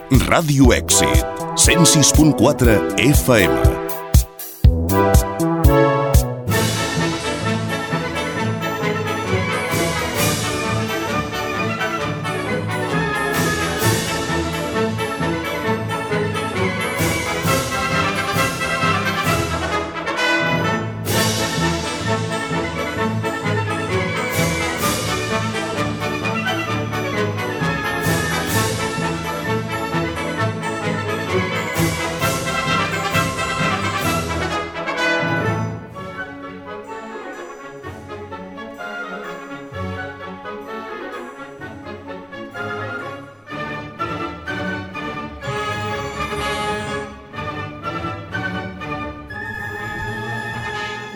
Ràdio Èxit, 106.4 FM.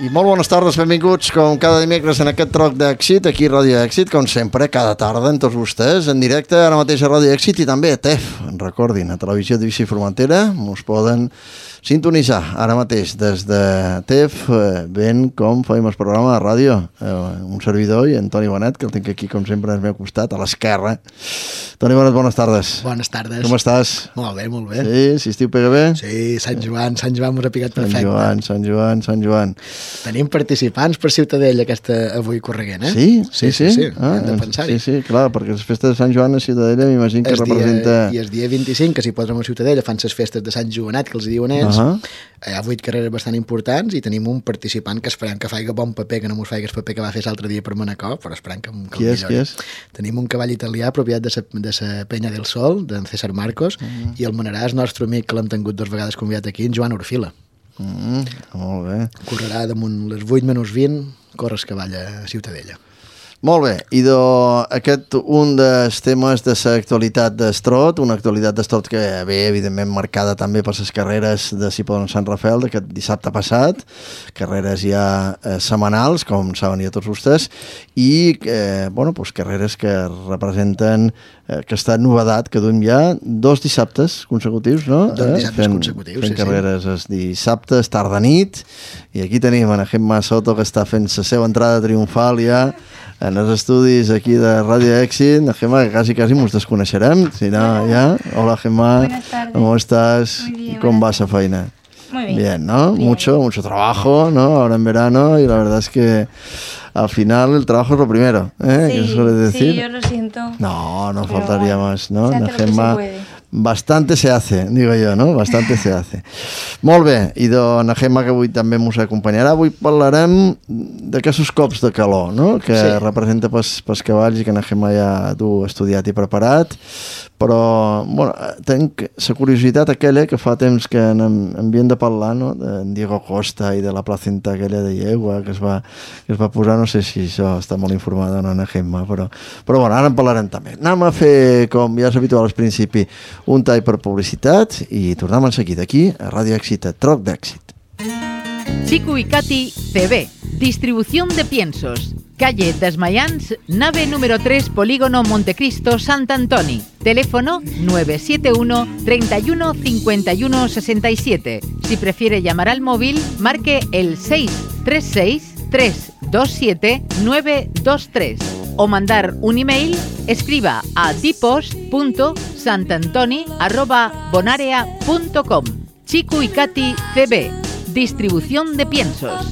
I molt bones tardes, benvinguts com cada dimecres en aquest troc d'èxit, aquí a Ràdio Èxit, com sempre, cada tarda amb tots vostès, en directe, ara mateix a Ràdio Èxit i també a TEF, recordin, a Televisió d'Eivissa i Formentera, us poden sintonitzar ara mateix des de TEF, ben com fem el programa de ràdio, un servidor i en Toni Bonet, que el tinc aquí com sempre al meu costat, a l'esquerra. Toni Bonet, bones tardes. Bones tardes. Com estàs? Molt bé, molt bé. Sí, si estiu pega bé? Sí, Sant Joan m'ho ha picat perfecte. Sant Joan. Tenim participants per Ciutadella avui correguent, eh? Sí? Hem de pensar-hi. Sí, clar, perquè les festes de Sant Joan a Ciutadella m'imagino que representa... I el dia 25, que s'hi posen a Ciutadella, fan les festes de Sant Joanet, que els diuen ells. Hi ha 8 carreres bastant importants i tenim un participant que esperem que faci bon paper, que no mos faci el paper que va fer l'altre dia per Manacor, però esperem que Qui és? Tenim un cavall italià, propietat de la Penya del Sol, d'en César Marcos, i el Manarà és nostre amic, que l'hem tingut 2 vegades convidat aquí, en Joan Orfila. Molt bé. Correrà damunt les 8-20, corre el cavall a Ciutadella. Molt bé, i aquest un dels temes de l'actualitat d'Estrot, una actualitat d'Estrot que ve evidentment marcada també per les carreres de Cipolletti Sant Rafael d'aquest dissabte passat, carreres ja setmanals, com saben ja tots vostès, i carreres que representen aquesta novedat que duem ja 2 dissabtes consecutius, no? 2 dissabtes consecutius, fent carreres els dissabtes, tarda nit, i aquí tenim en Gemma Soto, que està fent la seva entrada triomfal ja en els estudis aquí de Ràdio Èxit. Gemma, que quasi mos desconeixerem, si no, ja. Hola, Gemma. Buenas tardes. ¿Cómo estás? Muy bien, ¿Cómo va esa faena? Muy bien. Bien, ¿no? Bien. Mucho trabajo, ¿no? Ahora en verano, y la verdad es que al final el trabajo es lo primero, ¿eh? Sí, ¿Qué se suele decir? sí, yo lo siento. No Pero faltaría bueno, más, ¿no? se hace lo que se Gemma, puede. bastante se hace, digo jo, no? Bastante se hace. Molt bé, i na Gemma, que avui també ens acompanyarà, avui parlarem d'aquests cops de calor, no? Que representa pels cavalls i que na Gemma ja tu estudiat i preparat, però, bueno, tenc la curiositat aquella que fa temps que n'havíem de parlar, no? D'en Diego Costa i de la placenta aquella de llegua que es va posar, no sé si això està molt informada o no, na Gemma, però bueno, ara en parlarem també. Anem a fer, com ja és habitual al principi, un tall per publicitat i tornem en seguida aquí a Ràdio Èxit, a Troc d'Èxit. Chico y Katy CB, distribución de piensos, calle Desmayans, nave número 3, Polígono Montecristo, Sant Antoni. Teléfono 971 31 51 67. Si prefiere llamar al móvil, marque el 636 327 923. O mandar un email, escriba a dipos.santantoni@bonarea.com. Chico y Katy CB, distribución de piensos.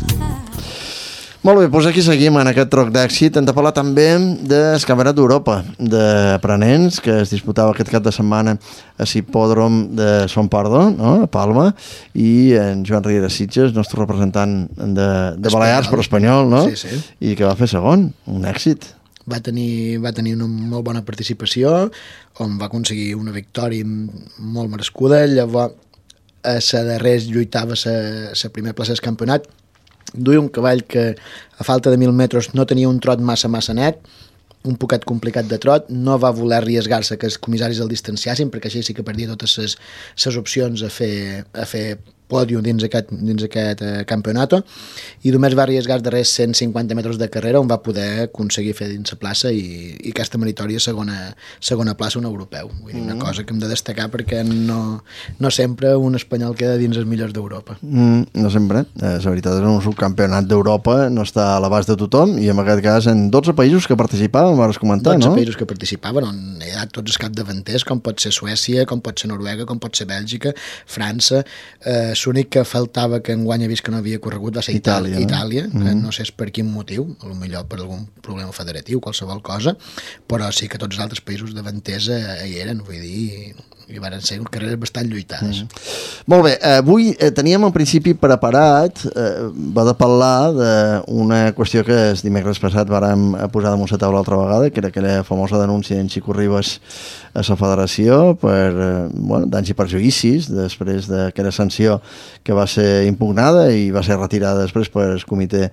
Molt bé, doncs aquí seguim en aquest troc d'èxit. Hem de parlar també del Campionat d'Europa d'aprenents que es disputava aquest cap de setmana a l'hipòdrom de Son Pardo, no? A Palma, i en Joan Riera Sitges, nostre representant de Balears per espanyol, no? Sí. I que va fer segon, un èxit. Va tenir una molt bona participació, on va aconseguir una victòria molt merescuda. Llavors, a la darrera lluitava la primera plaça del campionat. Duia un cavall que, a falta de 1.000 metres, no tenia un trot massa net, un poquet complicat de trot, no va voler arriesgar-se que els comissaris el distanciassin, perquè així sí que perdia totes les opcions a fer pòdium dins aquest campionat, i només va arriesgar els darrers 150 metres de carrera on va poder aconseguir fer dins la plaça i aquesta meritòria segona plaça un europeu. Vull dir, una cosa que hem de destacar perquè no sempre un espanyol queda dins els millors d'Europa. No sempre. La veritat és que un subcampionat d'Europa no està a l'abast de tothom i en aquest cas en 12 països que participaven, vas comentar, 12 no? països que participaven, on hi ha tots els capdavanters, com pot ser Suècia, com pot ser Noruega, com pot ser Bèlgica, França. L'únic que faltava que enguany he vist que no havia corregut va ser Itàlia, que no sé per quin motiu, potser per algun problema federatiu, qualsevol cosa, però sí que tots els altres països davanters hi eren, vull dir, i van ser carreres bastant lluitades. Molt bé, avui teníem en principi preparat, va de parlar d'una qüestió que el dimecres passat vàrem posar damunt la taula altra vegada, que era aquella famosa denúncia d'en Xico Ribas a la federació per danys i perjuïcis després d'aquella sanció que va ser impugnada i va ser retirada després per el comitè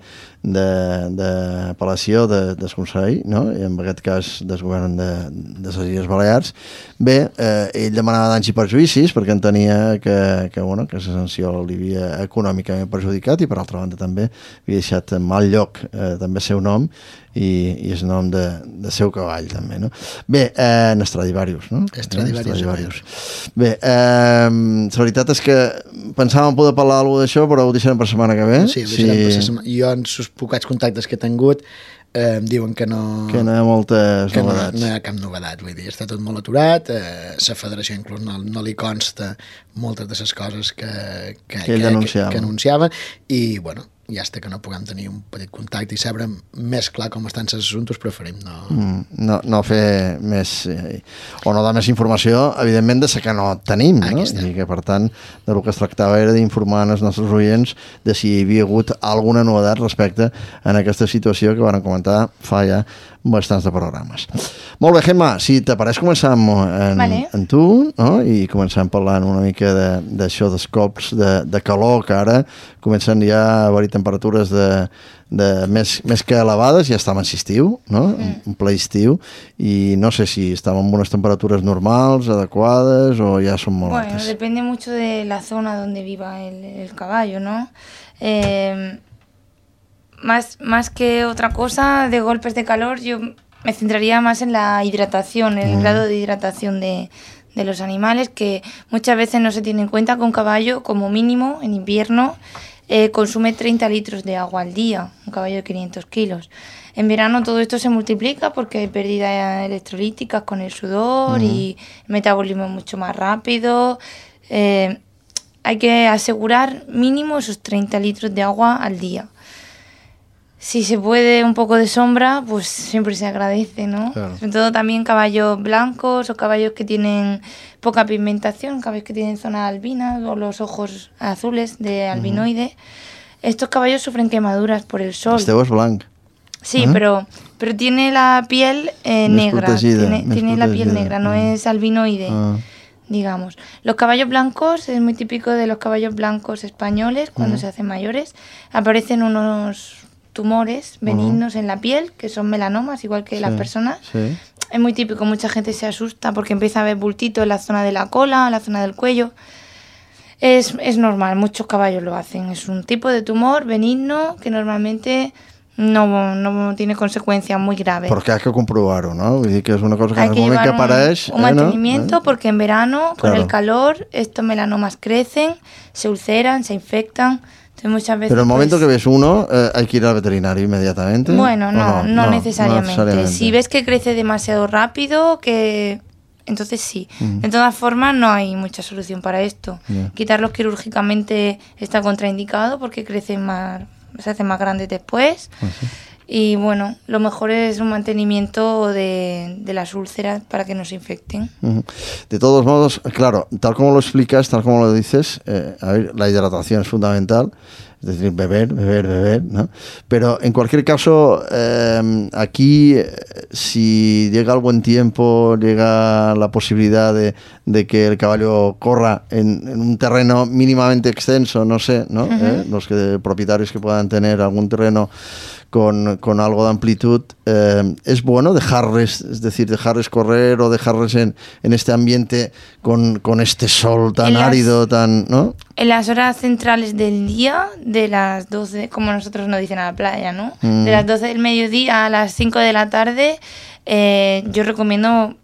d'apel·lació del Consell, no? I en aquest cas del govern de les Illes Balears. Bé, ell demanava danys i perjuïcis perquè entenia que la sanció l'havia econòmicament perjudicat i per altra banda també havia deixat en mal lloc també el seu nom i el nom de seu cavall també, no? Bé, en Stradivarius, no? Stradivarius. Bé, la veritat és que pensàvem poder parlar alguna d'això, però ho deixarem per setmana que ve. Sí, ho deixarem per setmana. Jo en els pocs contactes que he tingut em diuen que no... Que no hi ha moltes novetats. No hi ha cap novetat, vull dir, està tot molt aturat, la federació inclús no li consta moltes de les coses que anunciaven i, bueno, ja està que no puguem tenir un petit contacte i saber més clar com estan els assumptes, preferim no fer més o no dar més informació, evidentment, de la que no tenim, no? I que, per tant, del que es tractava era d'informar els nostres oients de si hi havia hagut alguna novetat respecte a aquesta situació que vam comentar fa ja bastants de programes. Molt bé, Gemma, si t'apareix començam en tu, no? I començam parlant una mica d'això dels cops de calor, que ara comencen ja a haver-hi temperatures més que elevades, ja estem en estiu, no? En ple estiu, i no sé si estem en unes temperatures normals, adequades, o ja són molt altes. Bueno, depende mucho de la zona donde viva el caballo, ¿no? Más que otra cosa de golpes de calor, yo me centraría más en la hidratación, en el grado de hidratación de los animales, que muchas veces no se tiene en cuenta que un caballo, como mínimo, en invierno, consume 30 litros de agua al día, un caballo de 500 kilos. En verano todo esto se multiplica porque hay pérdidas electrolíticas con el sudor y el metabolismo es mucho más rápido. Hay que asegurar mínimo esos 30 litros de agua al día. Si se puede un poco de sombra, pues siempre se agradece, ¿no? Claro. Sobre todo también caballos blancos o caballos que tienen poca pigmentación, caballos que tienen zonas albinas o los ojos azules de albinoide. Estos caballos sufren quemaduras por el sol. Este es blanco. Sí, pero tiene la piel negra, tiene la piel negra, no es albinoide. Digamos. Los caballos blancos, es muy típico de los caballos blancos españoles, cuando se hacen mayores, aparecen unos tumores benignos en la piel, que son melanomas, igual que las personas. Sí. Es muy típico, mucha gente se asusta porque empieza a ver bultitos en la zona de la cola, en la zona del cuello. Es normal, muchos caballos lo hacen. Es un tipo de tumor benigno que normalmente no tiene consecuencias muy graves. Porque hay que comprobarlo, ¿no? Vull dir que és una cosa que en el moment que apareix... Un mantenimiento, porque en verano, con el calor, estos melanomas crecen, se ulceran, se infectan. Entonces, muchas veces, pero el momento que ves uno, hay que ir al veterinario inmediatamente. Bueno, no necesariamente. Si ves que crece demasiado rápido, entonces sí. De todas formas, no hay mucha solución para esto. Quitarlos quirúrgicamente está contraindicado porque crecen se hacen más grandes después. Y bueno, lo mejor es un mantenimiento de las úlceras para que no se infecten. De todos modos, claro, tal como lo explicas, tal como lo dices, a ver, la hidratación es fundamental, es decir, beber, ¿no? Pero en cualquier caso, aquí, si llega el buen tiempo, llega la posibilidad de que el caballo corra en un terreno mínimamente extenso, no sé, ¿no? Los propietarios que puedan tener algún terreno con algo de amplitud, es bueno dejarles, es decir, dejarles correr o dejarles en este ambiente con este sol tan árido, tan, ¿no? en las horas centrales del día, de las 12, como nosotros nos dicen a la playa, ¿no? De las 12 del mediodía a las 5 de la tarde, yo recomiendo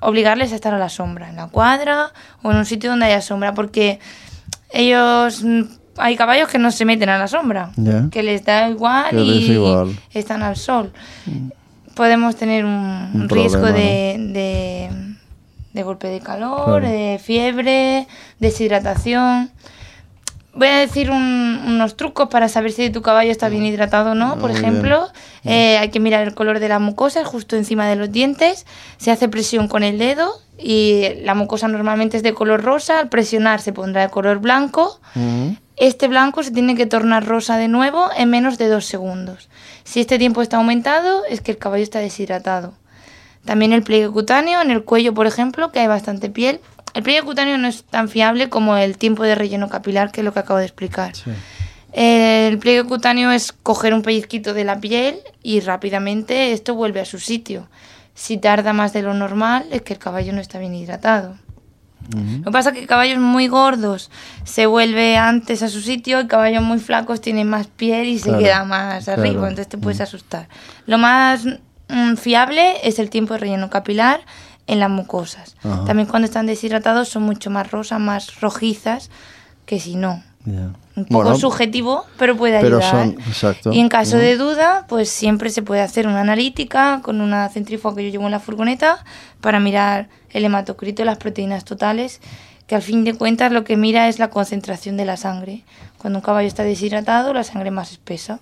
obligarles a estar a la sombra, en la cuadra o en un sitio donde haya sombra, porque hay caballos que no se meten a la sombra, que les da igual están al sol. Podemos tener un riesgo de golpe de calor, de fiebre, deshidratación. Voy a decir unos trucos para saber si tu caballo está bien hidratado o no. Por ejemplo, hay que mirar el color de la mucosa justo encima de los dientes. Se hace presión con el dedo y la mucosa normalmente es de color rosa. Al presionar se pondrá de color blanco. Este blanco se tiene que tornar rosa de nuevo en menos de 2 segundos. Si este tiempo está aumentado, es que el caballo está deshidratado. También el pliegue cutáneo, en el cuello, por ejemplo, que hay bastante piel. El pliegue cutáneo no es tan fiable como el tiempo de relleno capilar, que es lo que acabo de explicar. Sí. El pliegue cutáneo es coger un pellizquito de la piel y rápidamente esto vuelve a su sitio. Si tarda más de lo normal, es que el caballo no está bien hidratado. Lo que pasa es que caballos muy gordos se vuelve antes a su sitio y caballos muy flacos tienen más piel y se queda más arriba, entonces te puedes asustar. Lo más fiable es el tiempo de relleno capilar en las mucosas. También cuando están deshidratados son mucho más rosas, más rojizas que si no. Un poco subjetivo, pero puede ayudar. Exacto. Y en caso de duda, pues siempre se puede hacer una analítica con una centrífuga que yo llevo en la furgoneta para mirar el hematocrito, las proteínas totales, que al fin de cuentas lo que mira es la concentración de la sangre. Cuando un caballo està deshidratado, la sangre más espessa.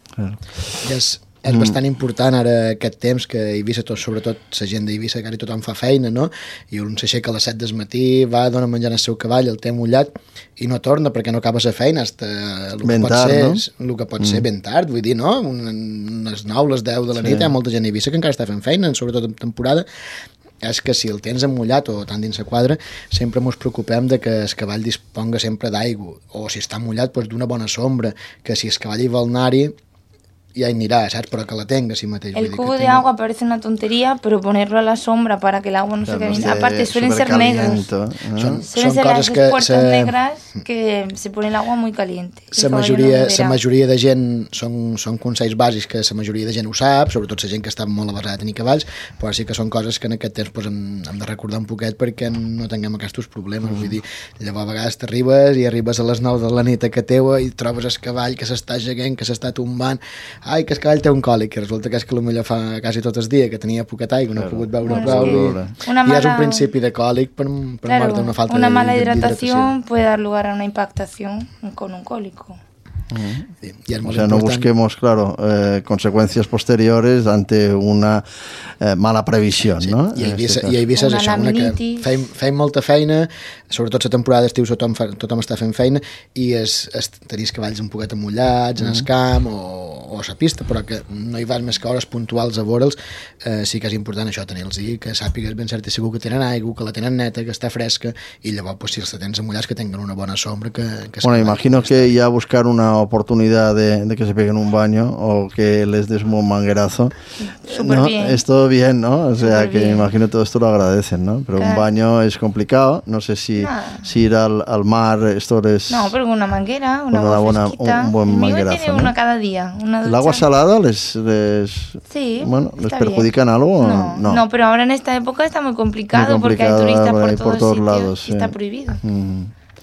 És bastant important ara aquest temps que a Eivissa, sobretot la gent d'Eivissa, quasi tothom fa feina, no? I un s'aixeca a les 7 del matí, va, dona menjar al seu cavall, el té mullat i no torna perquè no acaba la feina fins el que pot ser ben tard, vull dir, no? Unes 9, les 10 de la nit, hi ha molta gent a Eivissa que encara està fent feina, sobretot en temporada. És que si el tens emmullat o tant dins la quadra, sempre ens preocupem de que el cavall disponga sempre d'aigua, o si està mullat, doncs d'una bona sombra, que si el cavall hi vol anar-hi, ya anirá, ¿sabes? Para que la tenga así mateix. El cubo de agua parece una tontería, pero ponerlo a la sombra para que el agua no se quede... Aparte, suelen ser negros. Suelen ser las puertas negras que se pone el agua muy caliente. La majoria de gent són consells bàsics que la majoria de gent ho sap, sobretot la gent que està molt avasada a tenir cavalls, però sí que són coses que en aquest temps hem de recordar un poquet perquè no tinguem aquests problemes. Vull dir, llavors a vegades t'arribes i arribes a les 9 de la nit a casa teva i trobes el cavall que s'està seguint, que s'està tombant, ai, que el cavall té un còlic, i resulta que és que potser fa quasi tot el dia, que tenia poquet aigua, no ha pogut beure prou, i és un principi de còlic per mort d'una falta una mala hidratación puede dar lugar a una impactación con un cólico. O sea, no busquemos, claro, consecuencias posteriores ante una mala previsión, ¿no? I a Eivissa és això, que feim molta feina, sobretot la temporada d'estiu tothom està fent feina, i tenir els cavalls un poquet amullats en el camp o a la pista, però que no hi vas més que hores puntuals a veure'ls. Sí que és important això, tenir-los i que sàpigues ben cert i segur que tenen aigua, que la tenen neta, que està fresca, i llavors, si els tens amullats, que tinguin una bona sombra. Bueno, imagino que ya buscar una oportunidad de que se peguen un baño o que les des un manguerazo, ¿no? Es todo bien, ¿no? O sea, que me imagino todo esto lo agradecen, ¿no? Pero un baño es complicado, no sé si ir al mar, esto es... No, pero con una manguera, una agua fresquita. Un buen manguerazo, tiene una cada día. ¿El agua salada les perjudica en algo? No, pero ahora en esta época está muy complicado porque hay turistas por todos lados. Sí. Está prohibido.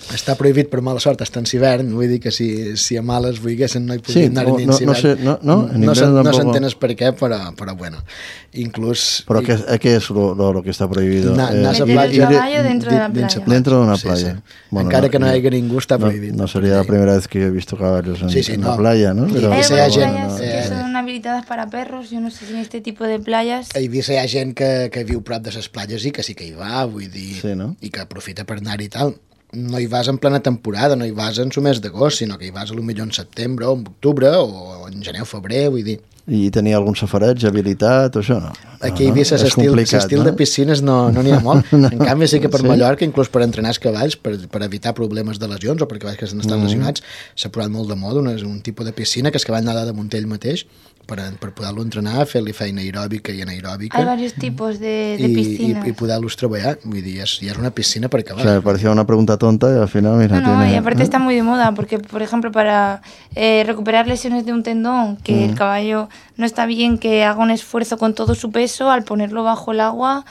Està prohibit per mala sort, està en hivern, vull dir que si a males volguessin no hi podien anar dins hivern. No s'entén per què, però bueno, inclús... ¿Pero qué es lo que está prohibido? Meter el caballo dentro de la playa. Dentro de una playa. Sí. Bueno, encara que no hi hagi ningú, està prohibit. No sería la primera vez que he visto caballos en la playa, ¿no? Pero hay playas que son habilitadas para perros, yo no sé si en este tipo de playas... A Eivissa hi ha gent que viu prop de les platges i que sí que hi va, vull dir, i que aprofita per anar-hi i tal. No hi vas en plena temporada, no hi vas en el mes d'agost, sinó que hi vas potser en setembre o en octubre o en gener o febrer, vull dir. I tenia algun safareig habilitat o això? No. Aquí a Eivissa l'estil de piscines no n'hi ha molt. En canvi sí que per Mallorca, inclús per entrenar els cavalls, per evitar problemes de lesions o per cavalls que estan lesionats, s'ha posat molt de moda un tipus de piscina que el cavall nada damunt ell mateix per poder-lo entrenar, fer-li feina aeròbica i anaeròbica. Hay varios tipos de piscinas. I poder-los treballar. Vull dir, ja és una piscina per acabar. O sea, me parecía una pregunta tonta y al final, mira, No, tiene... y aparte está muy de moda, porque, por ejemplo, para recuperar lesiones de un tendón, que el caballo no está bien que haga un esfuerzo con todo su peso, al ponerlo bajo el agua,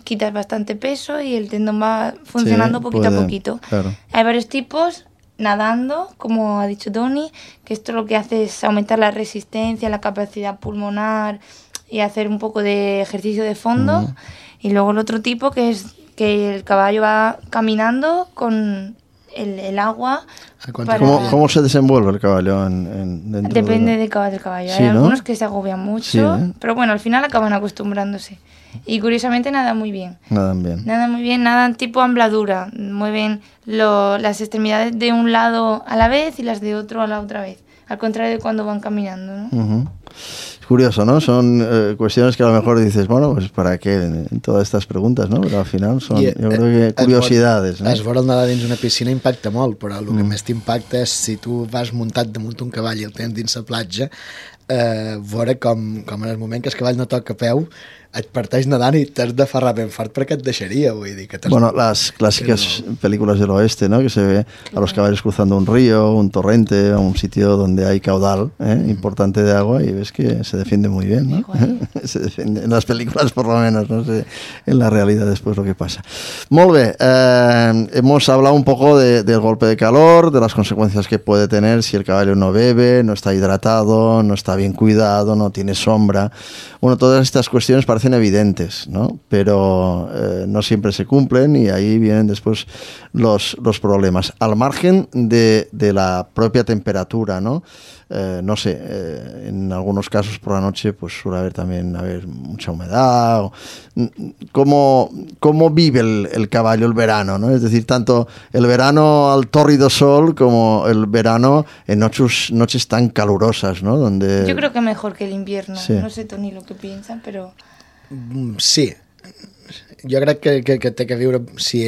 quitas bastante peso y el tendón va funcionando poquito a poquito. Claro. Hay varios tipos, nadando, como ha dicho Toni, que esto lo que hace es aumentar la resistencia, la capacidad pulmonar y hacer un poco de ejercicio de fondo. Y luego el otro tipo, que es que el caballo va caminando con el agua. ¿Cómo se desenvuelve el caballo dentro Depende del caballo. Sí, Hay ¿no? algunos que se agobian mucho, Sí, ¿eh? pero bueno, al final acaban acostumbrándose. Y curiosamente nadan muy bien. Nadan bien. Nadan muy bien, nadan tipo ambladura. Mueven las extremidades de un lado a la vez y las de otro a la otra vez. Al contrario de cuando van caminando, ¿no? Es curioso, ¿no? Son cuestiones que a lo mejor dices, bueno, pues ¿para qué en todas estas preguntas, no? Pero al final son, yo creo que curiosidades, no? Es veure el nedar dins una piscina impacta molt, però el que més t'impacta és si tu vas muntat damunt un cavall i el tens dins la platja, veure com en el moment que el cavall no toca peu et parteix nedant y t'has de aferrar ben fort perquè et deixaria, vull dir que bueno, las clásicas películas del oeste, ¿no? Que se ve a los caballos cruzando un río, un torrente, un sitio donde hay caudal importante de agua y ves que se defiende muy bien, ¿no? Se defiende, en las películas por lo menos, no sé en la realidad después lo que pasa. Molt bé, hemos hablado un poco del golpe de calor, de las consecuencias que puede tener si el caballo no bebe, no está hidratado, no está bien cuidado, no tiene sombra. Bueno, todas estas cuestiones parecen evidentes, ¿no? Pero no siempre se cumplen y ahí vienen después los problemas. Al margen de la propia temperatura, ¿no? No sé, en algunos casos por la noche pues suele haber también mucha humedad. ¿Cómo vive el caballo el verano, ¿no? Es decir, tanto el verano al tórrido sol como el verano en noches tan calurosas, ¿no? Donde... Yo creo que mejor que el invierno. Sí. No sé Toni lo que piensa, però... Sí, jo crec que té que viure, si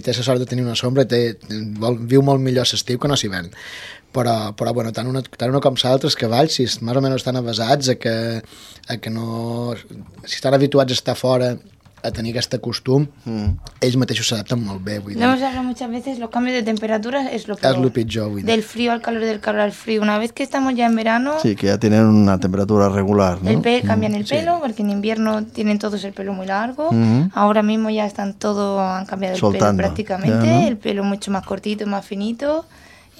té la sort de tenir una sombra, viu molt millor l'estiu que no l'hivern. Però bueno, tant una com l'altre, els cavalls, si més o menys estan avasats a que no... Si estan habituats a estar fora, a tenir aquest costum, ells mateixos s'adapten molt bé. Vull dir. Lo hemos hablado muchas veces, los cambios de temperatura es lo peor. És el pitjor, vull dir. Del frío al calor, del calor al frío. Una vez que estamos ya en verano... Sí, que ya tienen una temperatura regular, ¿no? Cambian el pelo, porque en invierno tienen todos el pelo muy largo. Ahora mismo ya han cambiado el Soltando, pelo prácticamente. ya, ¿no? El pelo mucho más cortito, más finito.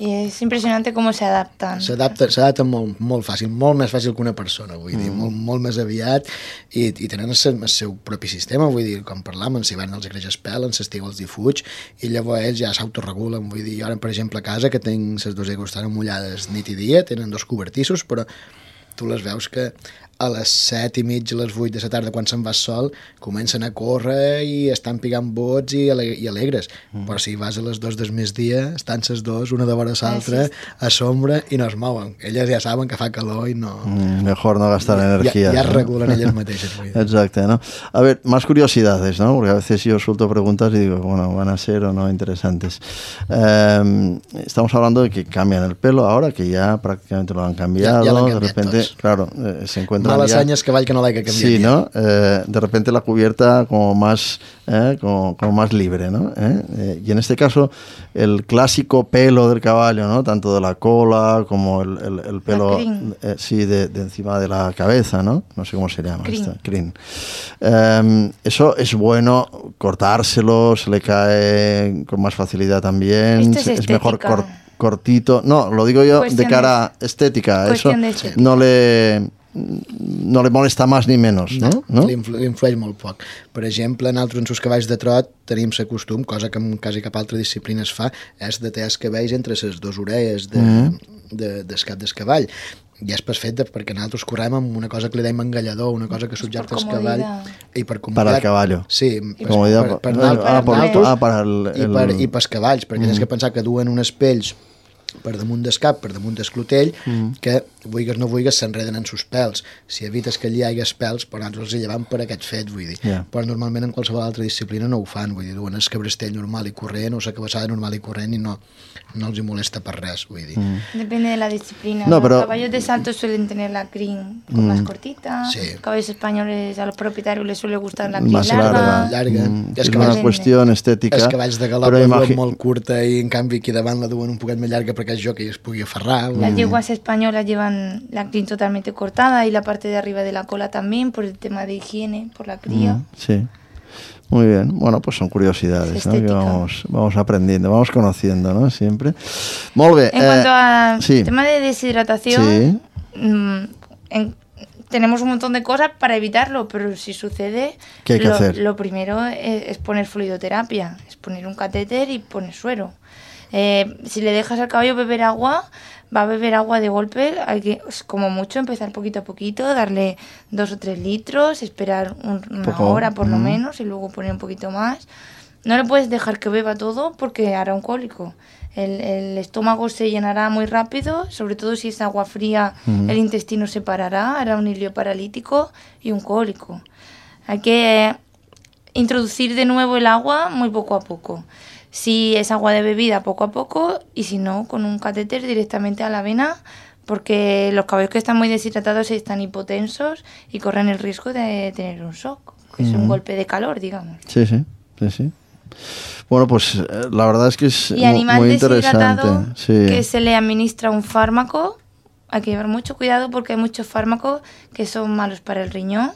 Y es impresionante cómo se adaptan. S'adapten molt fàcil, molt més fàcil que una persona, vull dir, molt més aviat, i tenen el seu propi sistema, vull dir, com parlàvem, si van els creix el pèl, en l'estiu els difuig, i llavors ells ja s'autoregulen, vull dir, jo ara, per exemple, a casa, que tinc les dues aigües estan mullades nit i dia, tenen dos cobertissos, però tu les veus que a les 7:30, a les 8 de la tarda, quan se'n va el sol, comencen a córrer i estan pigant bots i alegres. Però si vas a les 2 del migdia, estan les dos, una de vora l'altra, a sombra, i no es mouen. Elles ja saben que fa calor i no... Mejor no gastar energía. Ya ¿no? regulan ellas mateixes. Exacto, ¿no? A ver, más curiosidades, ¿no? Porque a veces yo suelto preguntas y digo, bueno, van a ser o no interesantes. Estamos hablando de que cambian el pelo ahora, que ya prácticamente lo han cambiado. Ya lo han de cambiado repente, todos. claro, se encuentran Malas ya... años que vaya que no la hay que cambiar. Sí, ¿no? De repente la cubierta como más libre, ¿no? Y en este caso, el clásico pelo del caballo, ¿no? Tanto de la cola como el pelo de encima de la cabeza, ¿no? No sé cómo se llama. Crin. Eso es bueno cortárselo, se le cae con más facilidad también. Es mejor cortito. No, lo digo yo de cara estética. Eso no le molesta més ni menys, no? Li influeix molt poc. Per exemple, nosaltres en els cavalls de trot tenim la costum, cosa que en quasi cap altra disciplina es fa, és de tallar els cabells entre les dues orelles del cap del cavall. I és per fet perquè nosaltres correm amb una cosa que li deim engallador, una cosa que subjecta el cavall i per comoditat. Para el caballo. Sí, per nosaltres i pels cavalls, perquè tens que pensar que duen unes pells per damunt del cap, per damunt del clotell, que, vulguis no vulguis, s'enreden en sus pèls. Si evites que allà hi hagués pèls, però nosaltres els llevam per aquest fet, vull dir. Però normalment en qualsevol altra disciplina no ho fan, vull dir, duen el cabrestell normal i corrent o la cabeçada normal i corrent i no els hi molesta per res, vull dir. Depende de la disciplina. No, pero... Los caballos de salto suelen tener la crin más cortita. Sí. Los caballos españoles a los propietarios les suele gustar la crin Más larga. Llarga. És una qüestió estètica. Els cavalls de galop la duen molt curta i en canvi aquí davant la duen un poquet més llarga perquè el jockey es pugui aferrar. Las yeguas españolas llevan la crin totalmente cortada y la parte de arriba de la cola también por el tema de higiene, por la cría. Sí. Muy bien. Bueno, pues son curiosidades, ¿no? Que vamos aprendiendo, vamos conociendo, ¿no? Siempre. Molt bé. En cuanto al tema de deshidratación, tenemos un montón de cosas para evitarlo, pero si sucede, ¿qué hay que hacer? Lo primero es poner fluidoterapia, es poner un catéter y poner suero. Si le dejas al caballo beber agua, va a beber agua de golpe, hay que, como mucho, empezar poquito a poquito, darle 2 o 3 litros, esperar una hora por lo menos y luego poner un poquito más. No le puedes dejar que beba todo porque hará un cólico. El estómago se llenará muy rápido, sobre todo si es agua fría, el intestino se parará, hará un hilio paralítico y un cólico. Hay que introducir de nuevo el agua muy poco a poco. Si es agua de bebida, poco a poco, y si no, con un catéter directamente a la vena, porque los caballos que están muy deshidratados están hipotensos y corren el riesgo de tener un shock, que es un golpe de calor, digamos. Sí. Bueno, pues la verdad es que es y animal muy interesante. Que se le administra un fármaco, hay que llevar mucho cuidado porque hay muchos fármacos que son malos para el riñón.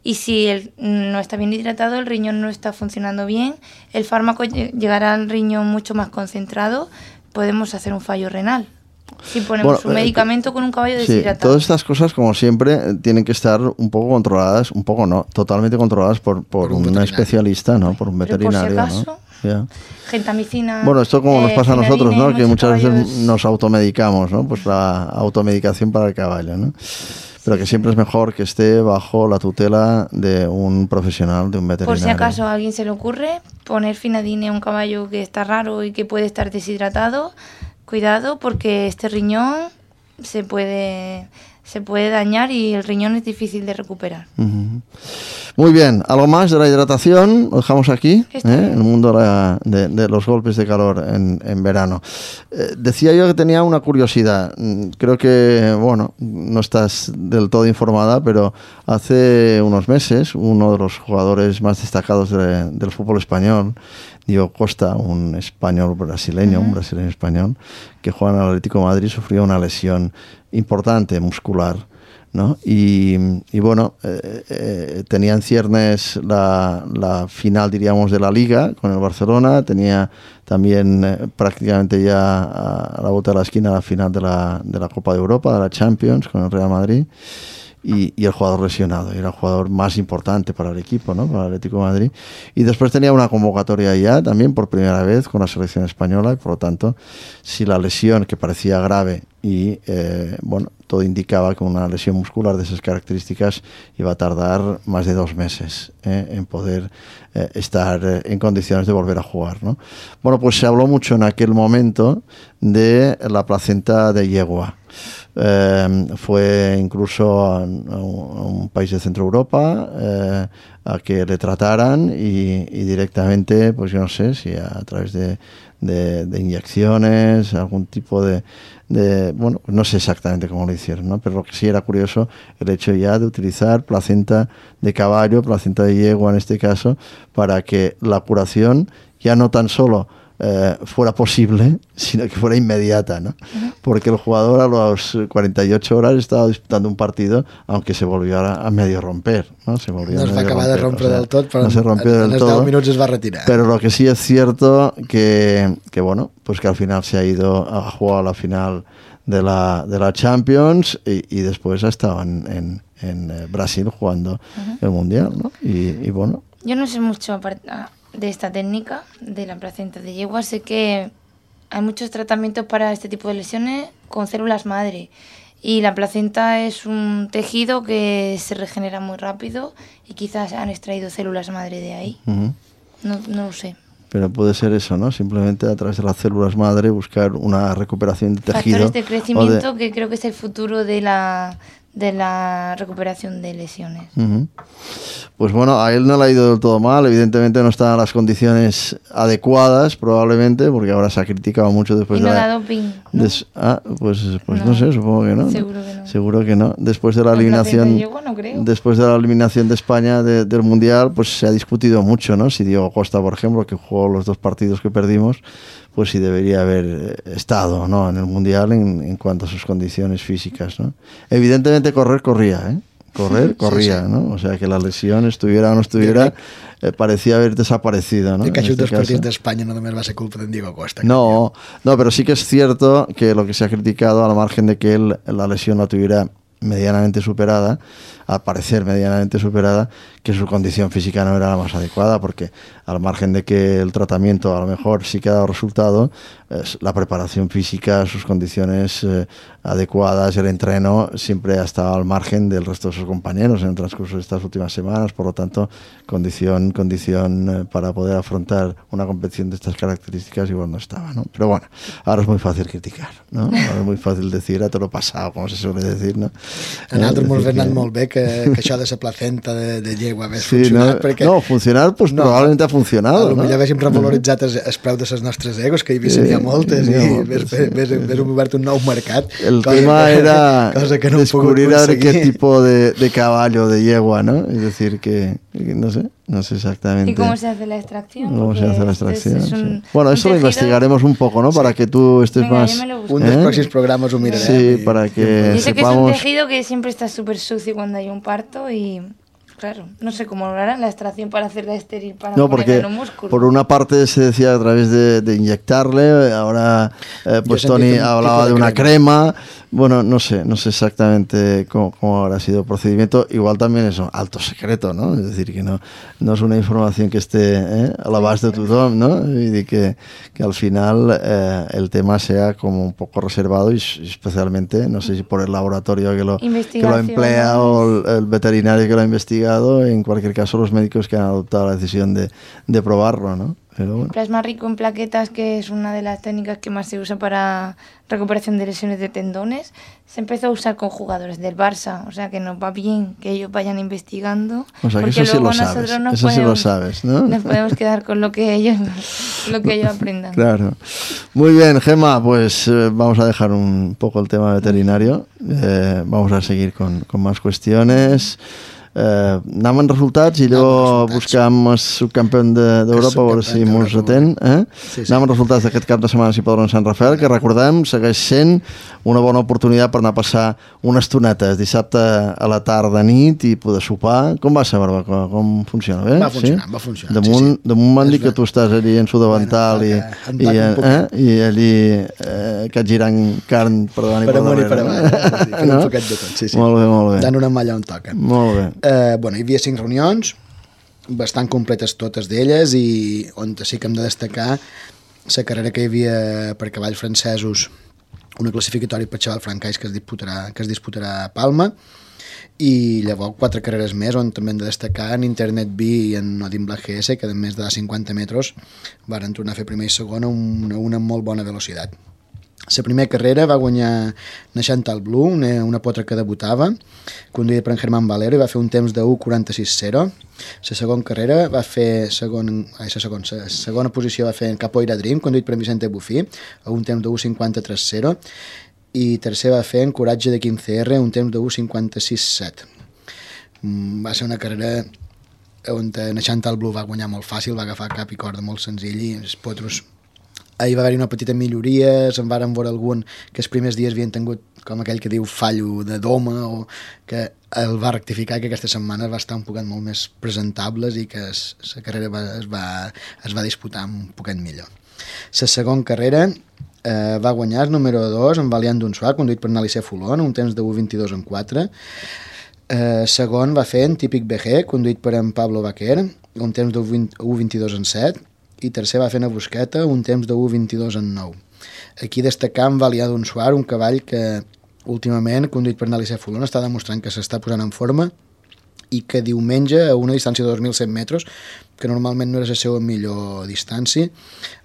Y si no está bien hidratado, el riñón no está funcionando bien, el fármaco llegará al riñón mucho más concentrado, podemos hacer un fallo renal. Si ponemos un medicamento con un caballo deshidratado. Todas estas cosas, como siempre, tienen que estar un poco controladas, un poco no, totalmente controladas por un especialista, ¿no? Por un veterinario. Por si acaso, ¿no? Gentamicina. Bueno, esto como nos pasa a nosotros, ¿no? Que muchas veces nos automedicamos, ¿no? Pues la automedicación para el caballo, ¿no? Pero que siempre es mejor que esté bajo la tutela de un profesional, de un veterinario. Por si acaso a alguien se le ocurre poner Finadine a un caballo que está raro y que puede estar deshidratado, cuidado porque este riñón se puede dañar y el riñón es difícil de recuperar. Muy bien, algo más de la hidratación, lo dejamos aquí, el mundo de los golpes de calor en verano. Decía yo que tenía una curiosidad, creo que, bueno, no estás del todo informada, pero hace unos meses uno de los jugadores más destacados del fútbol español, Diego Costa, un español brasileño, un brasileño español, que juega en el Atlético de Madrid, sufrió una lesión importante muscular, ¿no? Y bueno, tenía en ciernes la final, diríamos, de la Liga con el Barcelona, tenía también prácticamente ya a la vuelta de la esquina la final de la Copa de Europa, de la Champions con el Real Madrid. Y el jugador lesionado, y era el jugador más importante para el equipo, ¿no? Para el Atlético de Madrid. Y después tenía una convocatoria ya también por primera vez con la selección española, y por lo tanto, si la lesión, que parecía grave, y bueno, todo indicaba que una lesión muscular de esas características iba a tardar más de 2 meses en poder estar en condiciones de volver a jugar, ¿no? Bueno, pues se habló mucho en aquel momento de la placenta de yegua. Fue incluso a un país de Centro Europa a que le trataran y directamente, pues yo no sé si a través de inyecciones, algún tipo de bueno, no sé exactamente cómo lo hicieron, ¿no? Pero lo que sí era curioso el hecho ya de utilizar placenta de caballo, placenta de yegua en este caso, para que la curación ya no tan solo fuera posible, sino que fuera inmediata, ¿no? Porque el jugador a las 48 horas estaba disputando un partido, aunque se volvió a medio romper, ¿no? Se volvió no es va acabar de romper del tot, però no se rompió del todo, 10 minutos es va retirar. Pero lo que sí es cierto que bueno, pues que al final se ha ido a jugar la final de la Champions y después ha estado en Brasil jugando el Mundial, ¿no? Y bueno. Yo no sé mucho de esta técnica de la placenta de yegua, sé que hay muchos tratamientos para este tipo de lesiones con células madre y la placenta es un tejido que se regenera muy rápido y quizás han extraído células madre de ahí. No lo sé. pero puede ser eso, ¿no? Simplemente a través de las células madre buscar una recuperación de tejido. Factores de crecimiento que creo que es el futuro de la recuperación de lesiones. Pues bueno, a él no le ha ido del todo mal, evidentemente no están en las condiciones adecuadas, probablemente, porque ahora se ha criticado mucho después y no de da doping, ¿no? Pues no sé, supongo que no. Seguro que no. Seguro que no. Después de la eliminación, no creo. después de la eliminación de España del Mundial, pues se ha discutido mucho, ¿no? Si Diego Costa, por ejemplo, que jugó los 2 partidos que perdimos, pues si debería haber estado, ¿no?, en el Mundial en cuanto a sus condiciones físicas, ¿no? Evidentemente corría, ¿eh? Corría, sí. ¿No? O sea, que la lesión estuviera o no estuviera, parecía haber desaparecido, ¿no? Que aquests dos partits d'Espanya no només va ser culpa d'en Diego Costa. No, pero sí que es cierto que lo que se ha criticado, al margen de que él la lesión la tuviera medianamente superada, al parecer medianamente superada, que su condición física no era la más adecuada, porque al margen de que el tratamiento a lo mejor sí que ha dado resultado, la preparación física, sus condiciones adecuadas, el entreno siempre ha estado al margen del resto de sus compañeros en el transcurso de estas últimas semanas. Por lo tanto, condición para poder afrontar una competición de estas características igual no estaba, ¿no? Pero bueno, ahora es muy fàcil criticar, ¿no? Ahora es muy fàcil decir a todo lo pasado, como se suele decir, ¿no? A nosaltres mos ha anat molt bé que això de la placenta de llegua hagués sí, funcionat, no, perquè... No, funcionar, pues no, probablement ha funcionado, ¿no? Potser haguéssim revaloritzat el preu de les nostres egos, que hi havia moltes, i hagués obert un nou mercat. El tema era descubrir a ver qué tipo de caballo, de yegua, ¿no? Es decir, que no sé exactamente. ¿Y cómo se hace la extracción? ¿Cómo se hace la extracción? Bueno, eso lo investigaremos un poco, ¿no? Para que tú estés más... Un dels pròxims programes ho mirarem. Sí, para que dice sepamos... que es un tejido que siempre está súper sucio cuando hay un parto y... Claro, no sé cómo lo harán la extracción para hacerla estéril, para ponerla en un músculo. Por una parte se decía a través de inyectarle, ahora pues Tony hablaba de una crema. Bueno, no sé exactamente cómo habrá sido el procedimiento. Igual también es un alto secreto, ¿no? Es decir, que no es una información que esté a l'abast de tothom, ¿no? Y que al final el tema sea como un poco reservado y especialmente, no sé si por el laboratorio que lo emplea o el veterinario que lo ha investigado, en cualquier caso los médicos que han adoptado la decisión de probarlo, ¿no? Pero bueno. Plasma rico en plaquetas, que es una de las técnicas que más se usa para recuperación de lesiones de tendones, se empezó a usar con jugadores del Barça, o sea que nos va bien que ellos vayan investigando, o sea, que porque eso luego sí lo sabes, nosotros eso sí lo sabes, ¿no? Nos podemos quedar con lo que ellos aprendan. Claro. Muy bien, Gemma, pues vamos a dejar un poco el tema veterinario, vamos a seguir con más cuestiones. Anem en resultats i allò buscam el subcampió d'Europa a veure si mos atén. Sí. Anem en resultats d'aquest cap de setmana si Podron Sant Rafael, que recordem segueix sent una bona oportunitat per anar a passar una estoneta dissabte a la tarda, nit, i poder sopar. Com va ser, Barbacoa? Com funciona? Bé? Va funcionar. Damunt m'han dit que tu estàs allí en Sudavental i allí que et girant carn per davant i per darrere. Per davant, un poquet de tot, sí. Molt bé. Dan una malla on toca. Molt bé. Hi havia 5 reunions, bastant completes totes d'elles, i on sí que hem de destacar la carrera que hi havia per cavalls francesos, una classificatòria per xaval francès que es disputarà a Palma, i llavors 4 carreres més on també hem de destacar en Internet B i en Odin Black GS, que de més de 50 metres varen tornar a fer primera i segona una molt bona velocitat. La primera carrera va guanyar Chantal Blue, una potra que debutava, conduïda per en Germán Valero, i va fer un temps de 1:46.0. La segona carrera va fer la segona posició va fer en Capoeira Dream, conduït per en Vicente Bufí, a un temps de 1:53.0, i tercer va fer en Coratge de 15R, un temps de 1:56.7. Va ser una carrera on Chantal Blue va guanyar molt fàcil, va agafar cap i corda molt senzill, i els potros ahir va haver-hi una petita milloria, se'n varen veure algun que els primers dies havien tingut, com aquell que diu, fallo de doma, o que el va rectificar, que aquesta setmana va estar un poquet molt més presentables i que la carrera es va disputar un poquet millor. La segona carrera va guanyar el número 2, en Valiant d'Unsuà, conduït per Nalice Fulon, un temps de 1:22.4. Segon va fer en Típic BG, conduït per en Pablo Baquer, un temps de 1:22.7. i tercer va fer una Busqueta, un temps de 1:22.9. Aquí destacam Valiant d'Unsuà, un cavall que últimament, conduït per Nalice Fulon, està demostrant que s'està posant en forma i que diumenge, a una distància de 2.100 metres, que normalment no era la seva millor distància,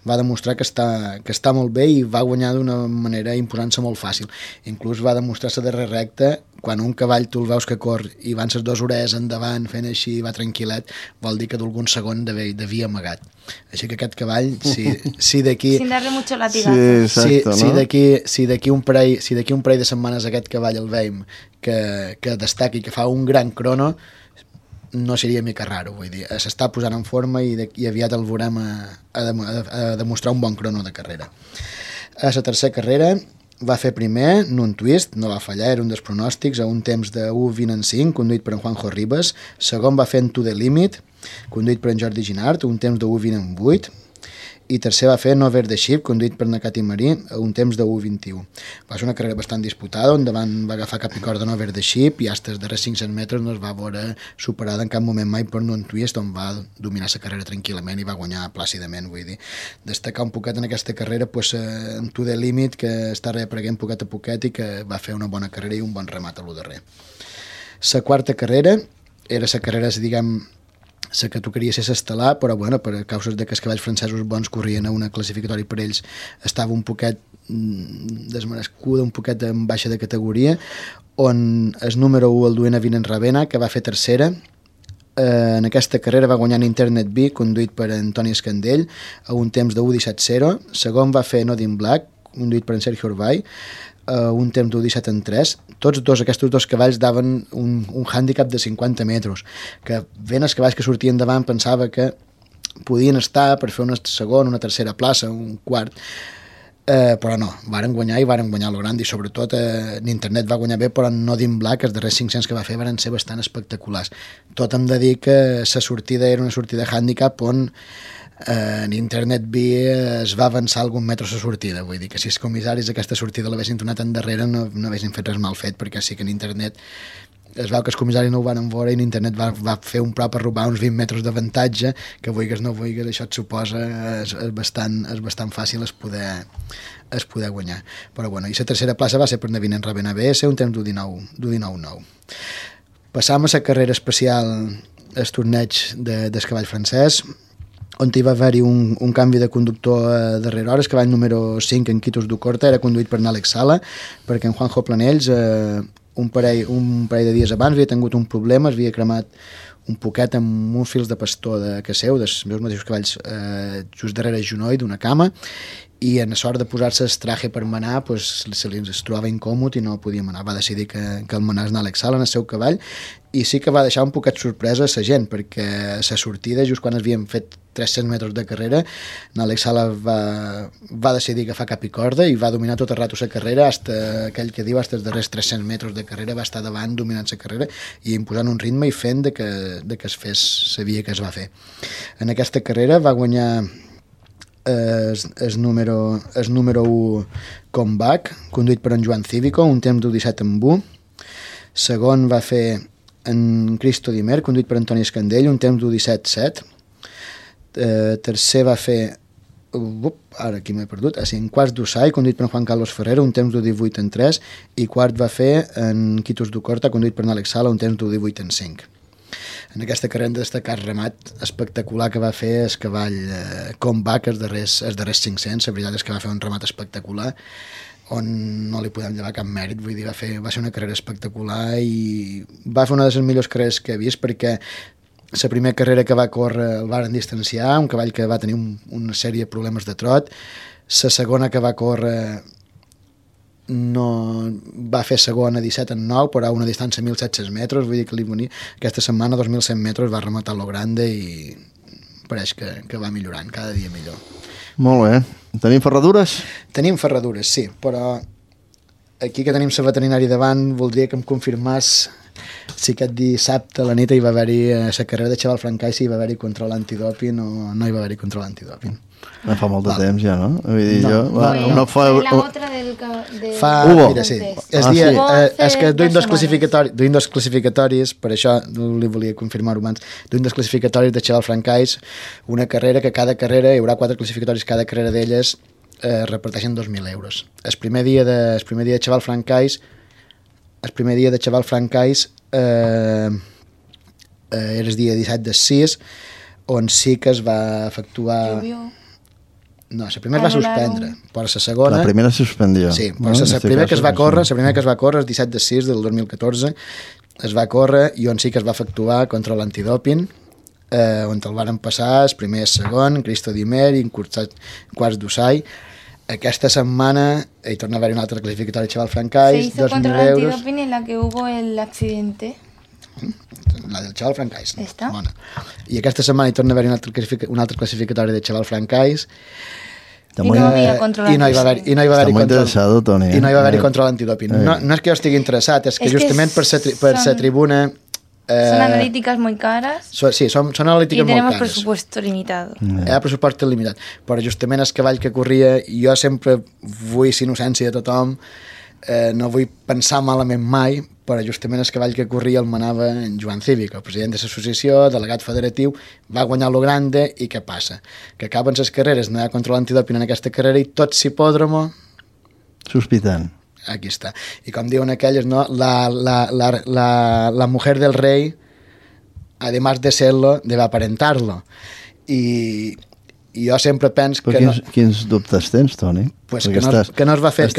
va demostrar que està molt bé i va guanyar d'una manera imposant-se molt fàcil. Inclús va demostrar-se darrere recta, quan un cavall tu el veus que cor i van ses 2 hores endavant fent així, va tranquil·let, vol dir que d'algun segon devia amagat. Així que aquest cavall, si d'aquí... Sin darle mucho latigazo. Si d'aquí un parell de setmanes aquest cavall el veiem que destaqui, que fa un gran crono, no seria mica raro, vull dir, s'està posant en forma i aviat el veurem a demostrar un bon crono de carrera. A la tercera carrera va fer primer en un twist, no va fallar, era un dels pronòstics, a un temps de 1:20:5, conduït per en Juanjo Ribas. Segon va fer en To The Limit, conduït per en Jordi Ginart, un temps de 1:20:8. I tercer va fer Over the Ship, conduït per Nakati Marí, a un temps de 1:21. Va ser una carrera bastant disputada, on davant va agafar cap i corda en Over the Ship i fins als darrers 500 metres no es va veure superada en cap moment mai per un twist, on va dominar la carrera tranquil·lament i va guanyar plàcidament, vull dir. Destacar un poquet en aquesta carrera en To The Limit, que està reapareguent poquet a poquet i que va fer una bona carrera i un bon remat a lo darrer. La quarta carrera era la carrera, diguem, la que tocaria ser l'estel·lar, però bueno, per causes de que els cavalls francesos bons corrien a una classificatòria per ells, estava un poquet desmerescuda, un poquet en baixa de categoria, on el número 1, el Duena Vinen Ravena, que va fer tercera, en aquesta carrera va guanyar en Internet B, conduït per Antoni Escandell, a un temps de 1:17:0. Segon va fer Nodin Black, conduït per en Sergio Urbay, un temps d'1:17:3. Aquests dos cavalls daven un hàndicap de 50 metres, que ben els cavalls que sortien davant pensava que podien estar per fer una segona, una tercera plaça, un quart, però no, varen guanyar i varen guanyar lo grand, i sobretot en Internet va guanyar bé, però en Nodin Black els darrers 500 que va fer van ser bastant espectaculars. Tot hem de dir que la sortida era una sortida hàndicap on en Internet B es va avançar algun metre a la sortida, vull dir que si els comissaris aquesta sortida l'haguessin tornat endarrere no haguessin fet res mal fet, perquè sí que en Internet es veu que els comissaris no ho van veure i en Internet va fer un prop a robar uns 20 metres d'avantatge, que vulguis no vulguis això et suposa és bastant fàcil es poder guanyar. Però bueno, i la tercera plaça va ser per Navinen Ravena BS, un temps d'1:19:9. Passam a la carrera especial, el torneig del cavall francès, on hi va haver-hi un canvi de conductor darrere hores, que cavall número 5 en Quitos d'Ucorta era conduït per Àlex Sala, perquè en Juanjo Planells un parell de dies abans havia tingut un problema, es havia cremat un poquet amb uns fils de pastor de caseu, dels meus mateixos cavalls just darrere el genoll d'una cama, i en sort de posar-se el traje per manar se li es trobava incòmod i no podia manar. Va decidir que el manàs Àlex Sala en el seu cavall, i sí que va deixar un poquet sorpresa a la gent, perquè a la sortida, just quan havíem fet 300 metres de carrera, Àlex Sala va decidir agafar cap i corda i va dominar tot el rato la carrera, aquell que diu, fins els darrers 300 metres de carrera va estar davant dominant la carrera i imposant un ritme i fent de que es fes la via que es va fer. En aquesta carrera va guanyar el número 1 Comeback, conduït per en Joan Cívico, un temps d'1:17:1. Segon va fer en Cristo Dimer, conduït per Antoni Escandell, un temps d'1:17:7. Tercer va fer ara aquí m'he perdut, en quarts d'Usai, conduït per en Juan Carlos Ferrero, un temps d'1:18:3, i quart va fer en Quitos d'Ucorta, conduït per Àlex Sala, un temps d'1:18:5. En aquesta carrera hem de destacar el remat espectacular que va fer el cavall Comeback els darrers 500. La veritat és que va fer un remat espectacular on no li podem llevar cap mèrit, vull dir, va ser una carrera espectacular i va fer una de les millors carreres que he vist, perquè la primera carrera que va córrer el varen distanciar, un cavall que va tenir una sèrie de problemes de trot. La segona que va córrer no va fer segona 17:9, però a una distància de 1.700 metres, vull dir que aquesta setmana 2.100 metres va rematar lo grande i pareix que va millorant, cada dia millor. Molt bé. Tenim ferradures? Tenim ferradures, sí, però aquí que tenim la veterinària davant voldria que em confirmàs si aquest dissabte a la nit hi va haver-hi la carrera de Xaval Francais, si hi va haver-hi control antidòping o no hi va haver-hi control antidòping. No fa molt de temps ja, no? Vull dir, no fa... La otra mira, sí. És que duim dos classificatoris, per això li volia confirmar-ho abans, duim dos classificatoris de Xaval Francais, una carrera que cada carrera, hi haurà 4 classificatoris, cada carrera d'elles reparteixen 2.000 euros. El primer dia de Xaval Francais era el dia 17 del 6, on sí que es va efectuar... No, la primera es va suspendre, però la segona... La primera se suspendió. Sí, però la primera que es va córrer, el 17 de 6 del 2014, es va córrer i on sí que es va efectuar contra l'antidòping, on el varen passar el primer i el segon, Cristo Dimer i en quarts d'Usai. Aquesta setmana hi torna a haver un altre clasificatori, Chaval Francais, 2.000 euros. Se hizo contra el antidoping en la que hubo el accidente. La del Chaval Francais. Esta. Bona. I aquesta setmana hi torna a haver un altre clasificatori de Chaval Francais. I no hi havia control antidoping. I no hi va haver-hi interessat, Toni. I no hi va haver-hi control antidoping. No és que jo estigui interessat, és que justament per la tribuna... Son analíticas muy caras. Sí, són analítiques molt cares. Y tenemos presupuesto limitado. Hi ha pressupost limitat. Però justament el cavall que corria, jo sempre vull la innocència de tothom, no vull pensar malament mai, però justament el cavall que corria el manava en Joan Cívic, el president de l'associació, delegat federatiu, va guanyar lo grande i què passa? Que acaben les carreres, no hi ha control antidoping en aquesta carrera i tot s'hipòdromo... Sospitant. Aquí està. I com diuen aquelles, no? La mujer del rei, además de serlo, debe aparentarlo. I jo sempre penso que... Quins dubtes tens, Toni? Pues que no es va fer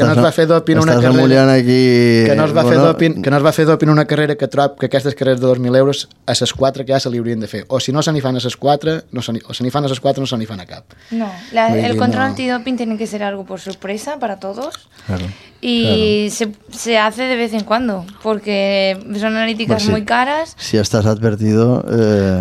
doping una carrera... Estàs amullant aquí... Que no es va fer doping una carrera que trob que aquestes carreres de 2.000 euros a les 4 que ja se li haurien de fer. O si no se n'hi fan a les 4, o se n'hi fan a les 4 no se n'hi fan a cap. No, el control antidoping tiene que ser algo por sorpresa para todos. Claro. Y se hace de vez en cuando, porque son analíticas muy caras. Si estás advertido,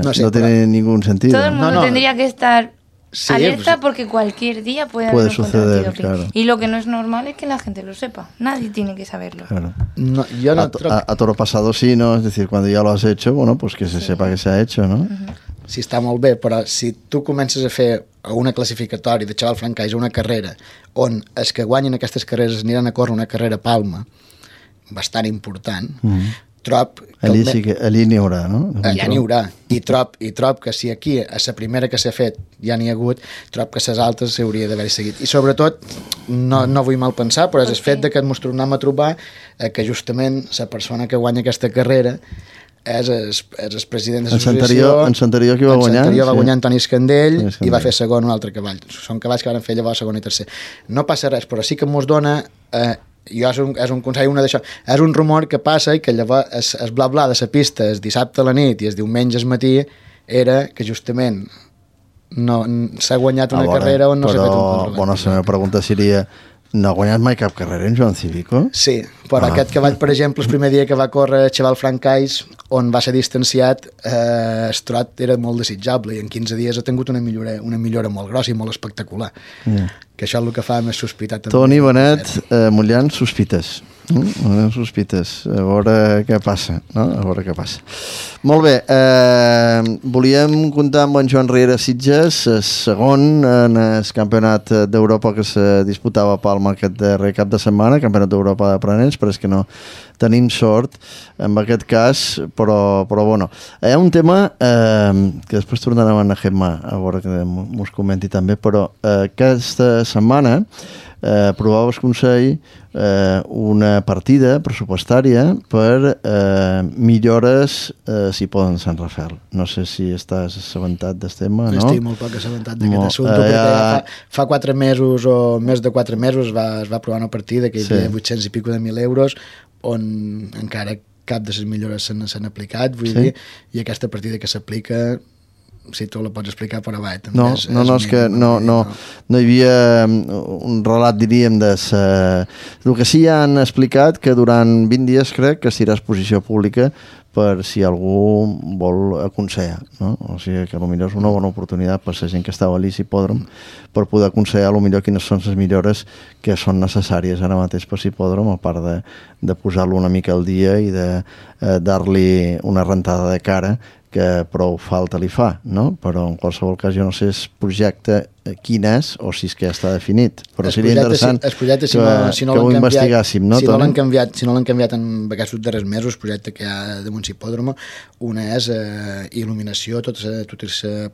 no tiene ningún sentido. Todo el mundo tendría que estar... Sí, alerta porque cualquier día puede suceder, claro. Y lo que no es normal es que la gente lo sepa. Nadie tiene que saberlo. Claro. No, yo no a toro pasado sí, ¿no? Es decir, cuando ya lo has hecho, bueno, pues que se sepa que se ha hecho, ¿no? Sí, està molt bé, però si tu comences a fer una classificatori de Chaval Francais, una carrera, on els que guanyen aquestes carreres aniran a córrer una carrera a Palma, bastant important, trob... Allí n'hi haurà, no? Allà n'hi haurà. I trob que si aquí, a la primera que s'ha fet, ja n'hi ha hagut, trob que les altres s'hauria d'haver seguit. I sobretot, no vull mal pensar, però és el fet de que ens tornem a trobar que justament la persona que guanya aquesta carrera és el president de l'associació. En l'anterior qui va guanyar? En l'anterior va guanyar Antoni Escandell i va fer segon un altre cavall. Són cavalls que van fer llavors segon i tercer. No passa res, però sí que ens dona... és un consell, és un rumor que passa i que llavors el bla-bla de la pista el dissabte a la nit i el diumenge al matí era que justament s'ha guanyat una carrera on no s'ha fet un control. Bueno, la meva pregunta seria: no ha guanyat mai cap carrera en Joan Cívico? Sí, però aquest cavall, per exemple, el primer dia que va córrer Chaval Francais, on va ser distanciat, el trot era molt desitjable i en 15 dies ha tingut una millora molt grossa i molt espectacular. Que això és el que fa més sospitar també. Toni Benet, mullant sospites. Sospites, a veure què passa, no? A veure què passa. Molt bé, volíem comptar amb en Joan Riera Sitges, segon en el campionat d'Europa que se disputava a Palma aquest darrer cap de setmana, campionat d'Europa d'aprenents, però és que no tenim sort en aquest cas, però bueno. Hi ha un tema que després tornarem a Gemma, a veure que mos comenti també, però aquesta setmana aprovava el Consell una partida pressupostària per millores si poden Sant Rafael. No sé si estàs assabentat del tema, no? Estic molt poc assabentat d'aquest assumpte, perquè fa 4 mesos o més de 4 mesos es va aprovar una partida que hi havia 800 i pico de 1.000 euros on encara cap de les millores s'han aplicat, vull dir, i aquesta partida que s'aplica, si tu la pots explicar, però va, també és que no hi havia un relat, diríem, el que sí han explicat que durant 20 dies crec que serà exposició pública per si algú vol aconsellar, no? O sigui que potser és una bona oportunitat per la gent que estava a l'Hipòdrom per poder aconsellar potser quines són les millores que són necessàries ara mateix per l'Hipòdrom, a part de posar-lo una mica al dia i de dar-li una rentada de cara que prou falta li fa, no? Però en qualsevol cas jo no sé el projecte quin és o si és que ja està definit, però seria interessant que ho investigàssim, no? Si no l'han canviat en aquests darrers mesos, el projecte que hi ha de Hipòdromo, una és il·luminació, tota la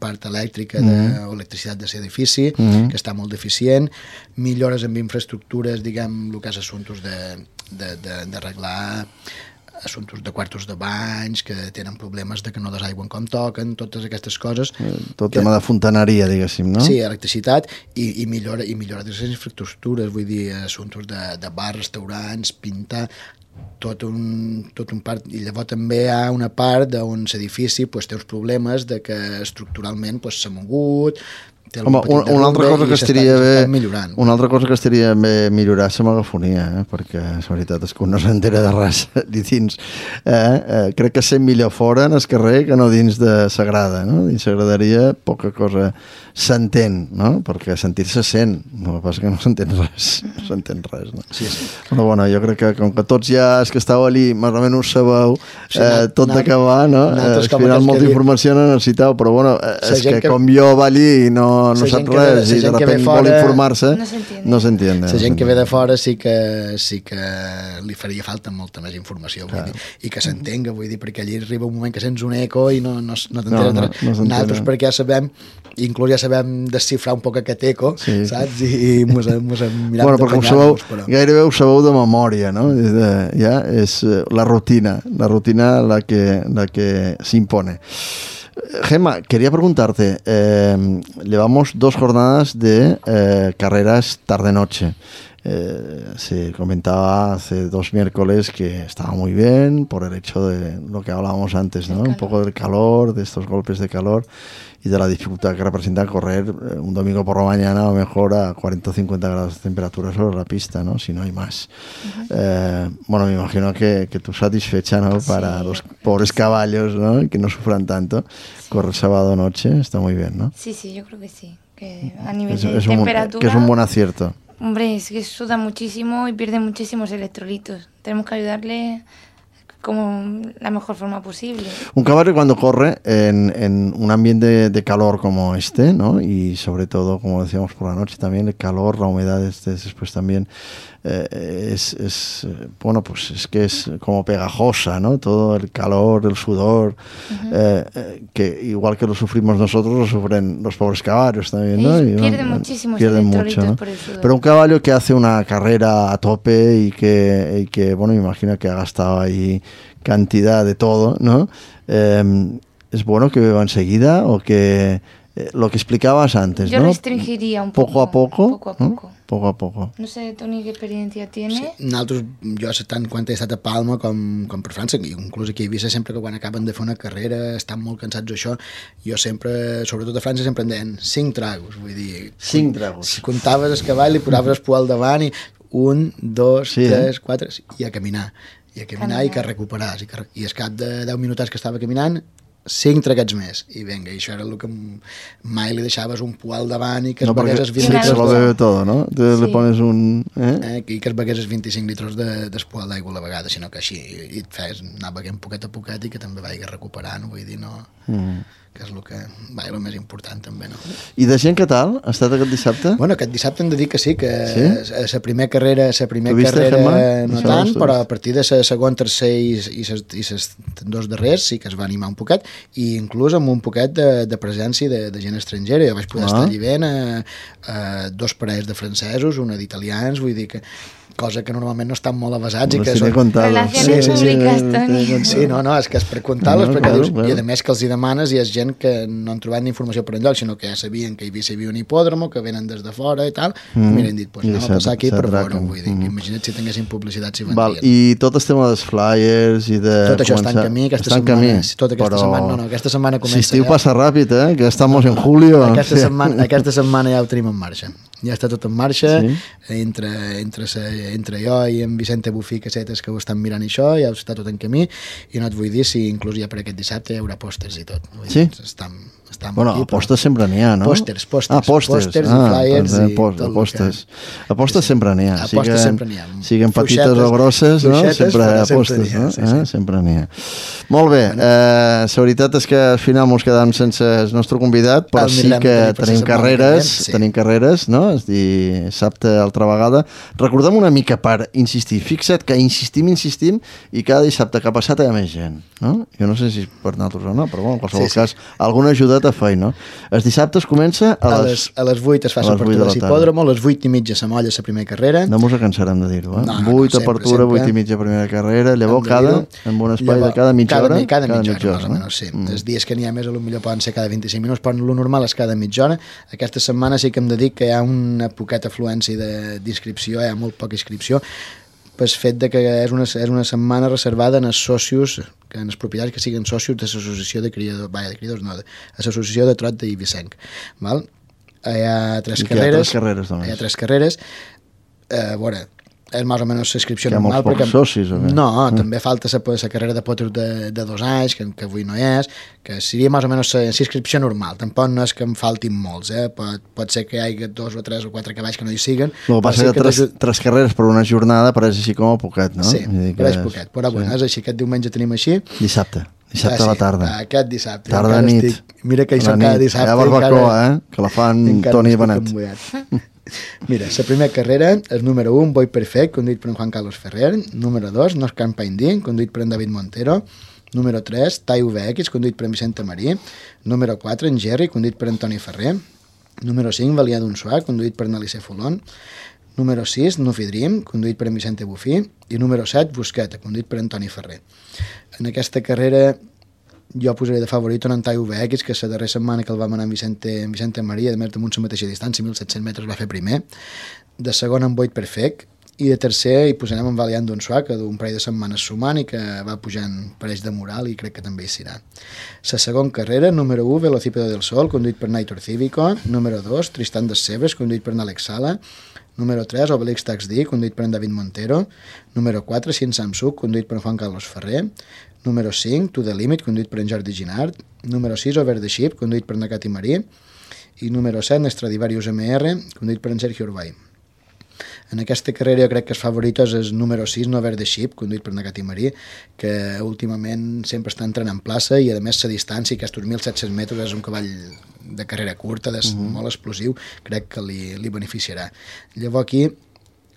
part elèctrica d'electricitat de l'edifici, que està molt deficient, millores en infraestructures, diguem, el que és assumptes d'arreglar assumptes de quartos de banys, que tenen problemes de que no desaigüen com toquen, totes aquestes coses. Tot tema de fontaneria, diguéssim, no? Sí, electricitat i millora de les infraestructures, vull dir, assumptes de bars, restaurants, pintar, tot un part, i llavors també hi ha una part on l'edifici té uns problemes de que estructuralment s'ha mogut. Home, una altra cosa que estaria bé millorar és la megafonia, perquè la veritat és que un no s'entera de res ni dins. Crec que sent millor fora en el carrer que no dins de Sagrada, no? Dins s'agradaria poca cosa s'entén, no? Perquè sentir-se sent, el que passa que no s'entén res, no? Sí. Però bueno, jo crec que com que tots ja els que estàu allí més o menys sabeu tot d'acabar, no? Al final molta informació no necessiteu, però bueno, és que com jo va allí i no sap res i de repente vol informar-se, no s'entiende. La gent que ve de fora sí que li faria falta molta més informació, vull dir, i que s'entenga, vull dir, perquè allí arriba un moment que sents un eco i no t'enteres de res. Nosaltres perquè ja sabem, inclús ja sabem desxifrar un poc aquest eco, saps? I mos hem mirat d'apanyar-nos. Gairebé ho sabeu de memòria, no? Ja és la rutina la que s'impone. Gemma, quería preguntarte, llevamos 2 jornadas de carreras tarde-noche. Se comentaba hace 2 miércoles que estaba muy bien por el hecho de lo que hablábamos antes, ¿no? Un poco del calor, de estos golpes de calor y de la dificultad que representa correr un domingo por la mañana a lo mejor a 40 o 50 grados de temperatura sobre la pista, ¿no? Si no hay más. Bueno, me imagino que tú satisfecha, ¿no? Para los pobres caballos, ¿no? Que no sufran tanto. Correr sábado noche está muy bien, ¿no? Sí, yo creo que sí. Que a nivel de temperatura... Que es un buen acierto. Hombre, es que suda muchísimo y pierde muchísimos electrolitos. Tenemos que ayudarle como la mejor forma posible. Un caballo cuando corre en un ambiente de calor como este, ¿no? Y sobre todo, como decíamos por la noche también, el calor, la humedad después también bueno, pues es que es como pegajosa, ¿no? Todo el calor, el sudor, que igual que lo sufrimos nosotros, lo sufren los pobres caballos también, ¿no? Pierden muchísimos electrolitos mucho, ¿no? Por el sudor. Pero un caballo que hace una carrera a tope y que bueno, me imagino que ha gastado ahí cantidad de todo, ¿no? Es bueno que beba enseguida o que lo que explicabas antes, yo ¿no? Restringiría un poco. Poco a poco. ¿no? Poco a poco. No sé, Toni, què experiència tiene? Sí, nosaltres, jo tant quan he estat a Palma com per França, inclús aquí a Eivissa, sempre que quan acaben de fer una carrera estan molt cansats d'això, jo sempre, sobretot a França, sempre em deien 5 tragos, vull dir... 5 tragos. Si comptaves el cavall, li posaves el poal davant i 1, 2, 3, 4, i a caminar i que recuperàs. I al cap de 10 minutets que estava caminant, 5 traguets més, i vinga, i això era el que mai li deixaves un poal davant i que es begués els 20 litros. Se lo bebe todo, ¿no? Entonces le pones un... I que es begués els 25 litros d'espoal d'aigua a la vegada, sinó que així i et fes anar beguent poquet a poquet i que també vagis recuperant, vull dir, no... que és el que va, el més important també, no? I de gent, què tal? Ha estat aquest dissabte? Bueno, aquest dissabte hem de dir que sí, que la primera carrera no tant, però a partir de la segon, tercer i les 2 darrers sí que es va animar un poquet, i inclús amb un poquet de presència de gent estrangera. Jo vaig poder estar allí ben 2 parells de francesos, una d'italians, vull dir que cosa que normalment no estan molt avasats i que són... Relacions públiques, Toni. Sí, no, és que és per contar-les, perquè dius, i a més que els hi demanes i és gent que no han trobat ni informació per enlloc, sinó que ja sabien que hi havia un hipòdromo, que venen des de fora i tal, i m'han dit, doncs anem a passar aquí per veure, vull dir, imagina't si tinguessin publicitat si vendrien. I tot el tema dels flyers i de... Tot això està en camí, aquesta setmana comença... Si estiu passa ràpid, que estamos en julio. Aquesta setmana ja ho tenim en marxa. Ja està tot en marxa, entre jo i en Vicente Bufí Casetes, que ho estan mirant això, ja està tot en camí, i no et vull dir si inclús ja per aquest dissabte hi haurà pòsters i tot. Sí? Bueno, pòsters sempre n'hi ha, no? Pòsters i flyers i tot el que... Pòsters sempre n'hi ha. Pòsters sempre n'hi ha. Siguin petites o grosses, no? Sempre hi ha pòsters, no? Sempre n'hi ha. Molt bé, la veritat és que al final ens quedam sense el nostre convidat, però sí que tenim carreres, no? es dissabte altra vegada. Recordem una mica per insistir. Fixa't que insistim i cada dissabte que ha passat hi ha més gent, no? Jo no sé si per nosaltres o no, però en qualsevol cas alguna ajudat a fer, no? Els dissabtes comença a les 8 es fa l'apertura de l'hipòdromo, a les 8:30 se molla la primera carrera. No mos cansarem de dir-ho, 8 apertura, 8:30 primera carrera, llavors en un espai de cada mitja hora. Cada mitja hora, més o menys, sí. Els dies que n'hi ha més, potser poden ser cada 25 minuts, però lo normal és cada mitja hora. Aquesta setmana sí que hem de dir que hi ha una poqueta afluència d'inscripció, hi ha molt poca inscripció, pel fet de que és una setmana reservada als socios, que en els propietaris que siguin socios de l'associació de criadors, no, de l'associació de trot d'Eivissenc. Hi ha 3 carreres. Hi ha 3 carreres. A veure, és més o menys l'inscripció normal. Hi ha molts pocs socis, o què? No, també falta la carrera de potros de 2 anys, que avui no és, que seria més o menys l'inscripció normal. Tampoc no és que em faltin molts, pot ser que hi hagi 2 o 3 o 4 cavalls que no hi siguen. El que passa que 3 carreres per una jornada pareix així com a poquet, no? Sí, pareix poquet, però bueno, és així, aquest diumenge tenim així. Dissabte a la tarda. Aquest dissabte. Tarda nit. Mira que hi som cada dissabte. Hi ha barbacoa, que la fan Toni i Benet. Mira, la primera carrera és número 1, Boy Perfect, conduït per en Juan Carlos Ferrer. Número 2, North Campaign D, conduït per en David Montero. Número 3, Tai VX, conduït per en Vicente Marí. Número 4, en Jerry, conduït per en Toni Ferrer. Número 5, Valia d'un Suà, conduït per en Alice Fulon. Número 6, Nufi Dream, conduït per en Vicente Bufí. I número 7, Busqueta, conduït per en Toni Ferrer. En aquesta carrera jo posaré de favorit en Tai VX, que la darrera setmana que el vam anar en Vicente Maria, a més damunt la mateixa distància, 1.700 metres, va fer primer. De segon en Boyd Perfect, i de tercer hi posarem en Valiant d'un Suà, que d'un parell de setmanes sumant i que va pujant pareix de moral i crec que també hi serà. La segona carrera, número 1, Velocípedo del Sol, conduït per Naitor Cívico. Número 2, Tristan des Cebes, conduït per Alex Sala. Número 3, Obelix Tax D, conduït per en David Montero. Número 4, Sin Samsung, conduït per en Juan Carlos Ferrer. Número 5, To The Limit, conduït per en Jordi Ginard. Número 6, Over the Ship, conduït per en Cati Marí. I número 7, Stradivarius MR, conduït per en Sergio Urbay. En aquesta carrera jo crec que els favoritos és el número 6, Over the Ship, conduït per Nagati Marí, que últimament sempre està entrant en plaça i a més la distància, aquests 1.700 metres, és un cavall de carrera curta, molt explosiu, crec que li beneficiarà. Llavors aquí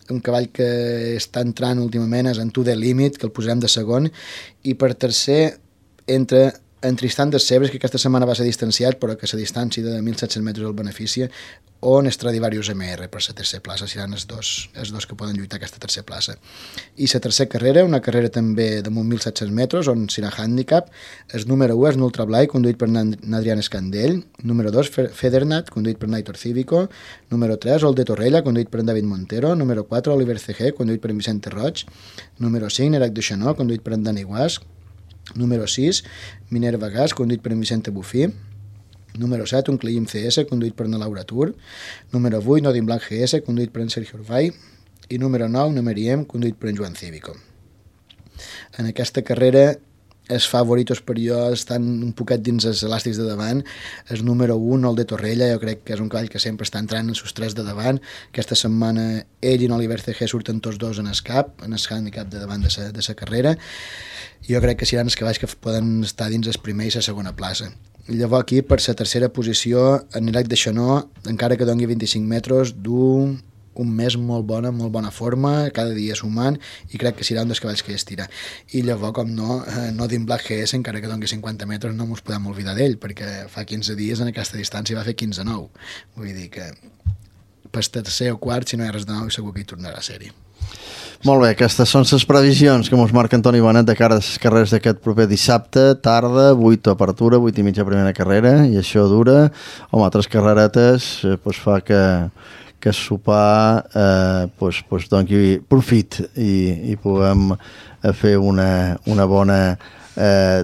un cavall que està entrant últimament és en To The Limit, que el posarem de segon, i per tercer entre en Tristan des Cebes, que aquesta setmana va ser distanciat, però que la distància de 1.700 metres el beneficia, o en Stradivarius MR per la tercera plaça, seran els dos que poden lluitar aquesta tercera plaça. I la tercera carrera, una carrera també de 1.700 metres, on serà handicap, el número 1 és Nultra Blai, conduït per Adrián Escandell. Número 2, Federnat, conduït per Naitor Cívico. Número 3, Ol de Torrella, conduït per David Montero. Número 4, Oliver CG, conduït per Vicente Roig. Número 5, Nerac de Xanó, conduït per Dani Guas. Número 6, Minerva Gas, conduït per Vicente Bufí. Número 7, un Cliim CS, conduït per Laura Tur. Número 8, Nodin Blanc GS, conduït per en Sergio Urbay. I número 9, Numeriem, conduït per en Joan Cívico. En aquesta carrera, els favoritos per jo estan un poquet dins els elàstics de davant. El número 1, el de Torrella, jo crec que és un cavall que sempre està entrant en els 3 de davant. Aquesta setmana ell i Oliver CG surten tots dos en el cap, en el handicap de davant de la carrera. Jo crec que seran els cavalls que poden estar dins el primer i la segona plaça. Llavors aquí, per la tercera posició, en Nerac de Xanó, encara que doni 25 metres, du un mes molt bona forma, cada dia sumant, i crec que serà un dels cavalls que estira. I llavors, com no, Nodin Black GS, encara que doni 50 metres, no ens podem oblidar d'ell, perquè fa 15 dies en aquesta distància va fer 15-9. Vull dir que per tercer o quart, si no hi ha res de nou, segur que hi tornarà a ser-hi. Molt bé, aquestes són les previsions que ens marca Toni Benet de cara a les carreres d'aquest proper dissabte, tarda, 8 apertura, 8 i mitja primera carrera, i això dura. Home, altres carreretes fa que sopar doni profit i puguem fer una bona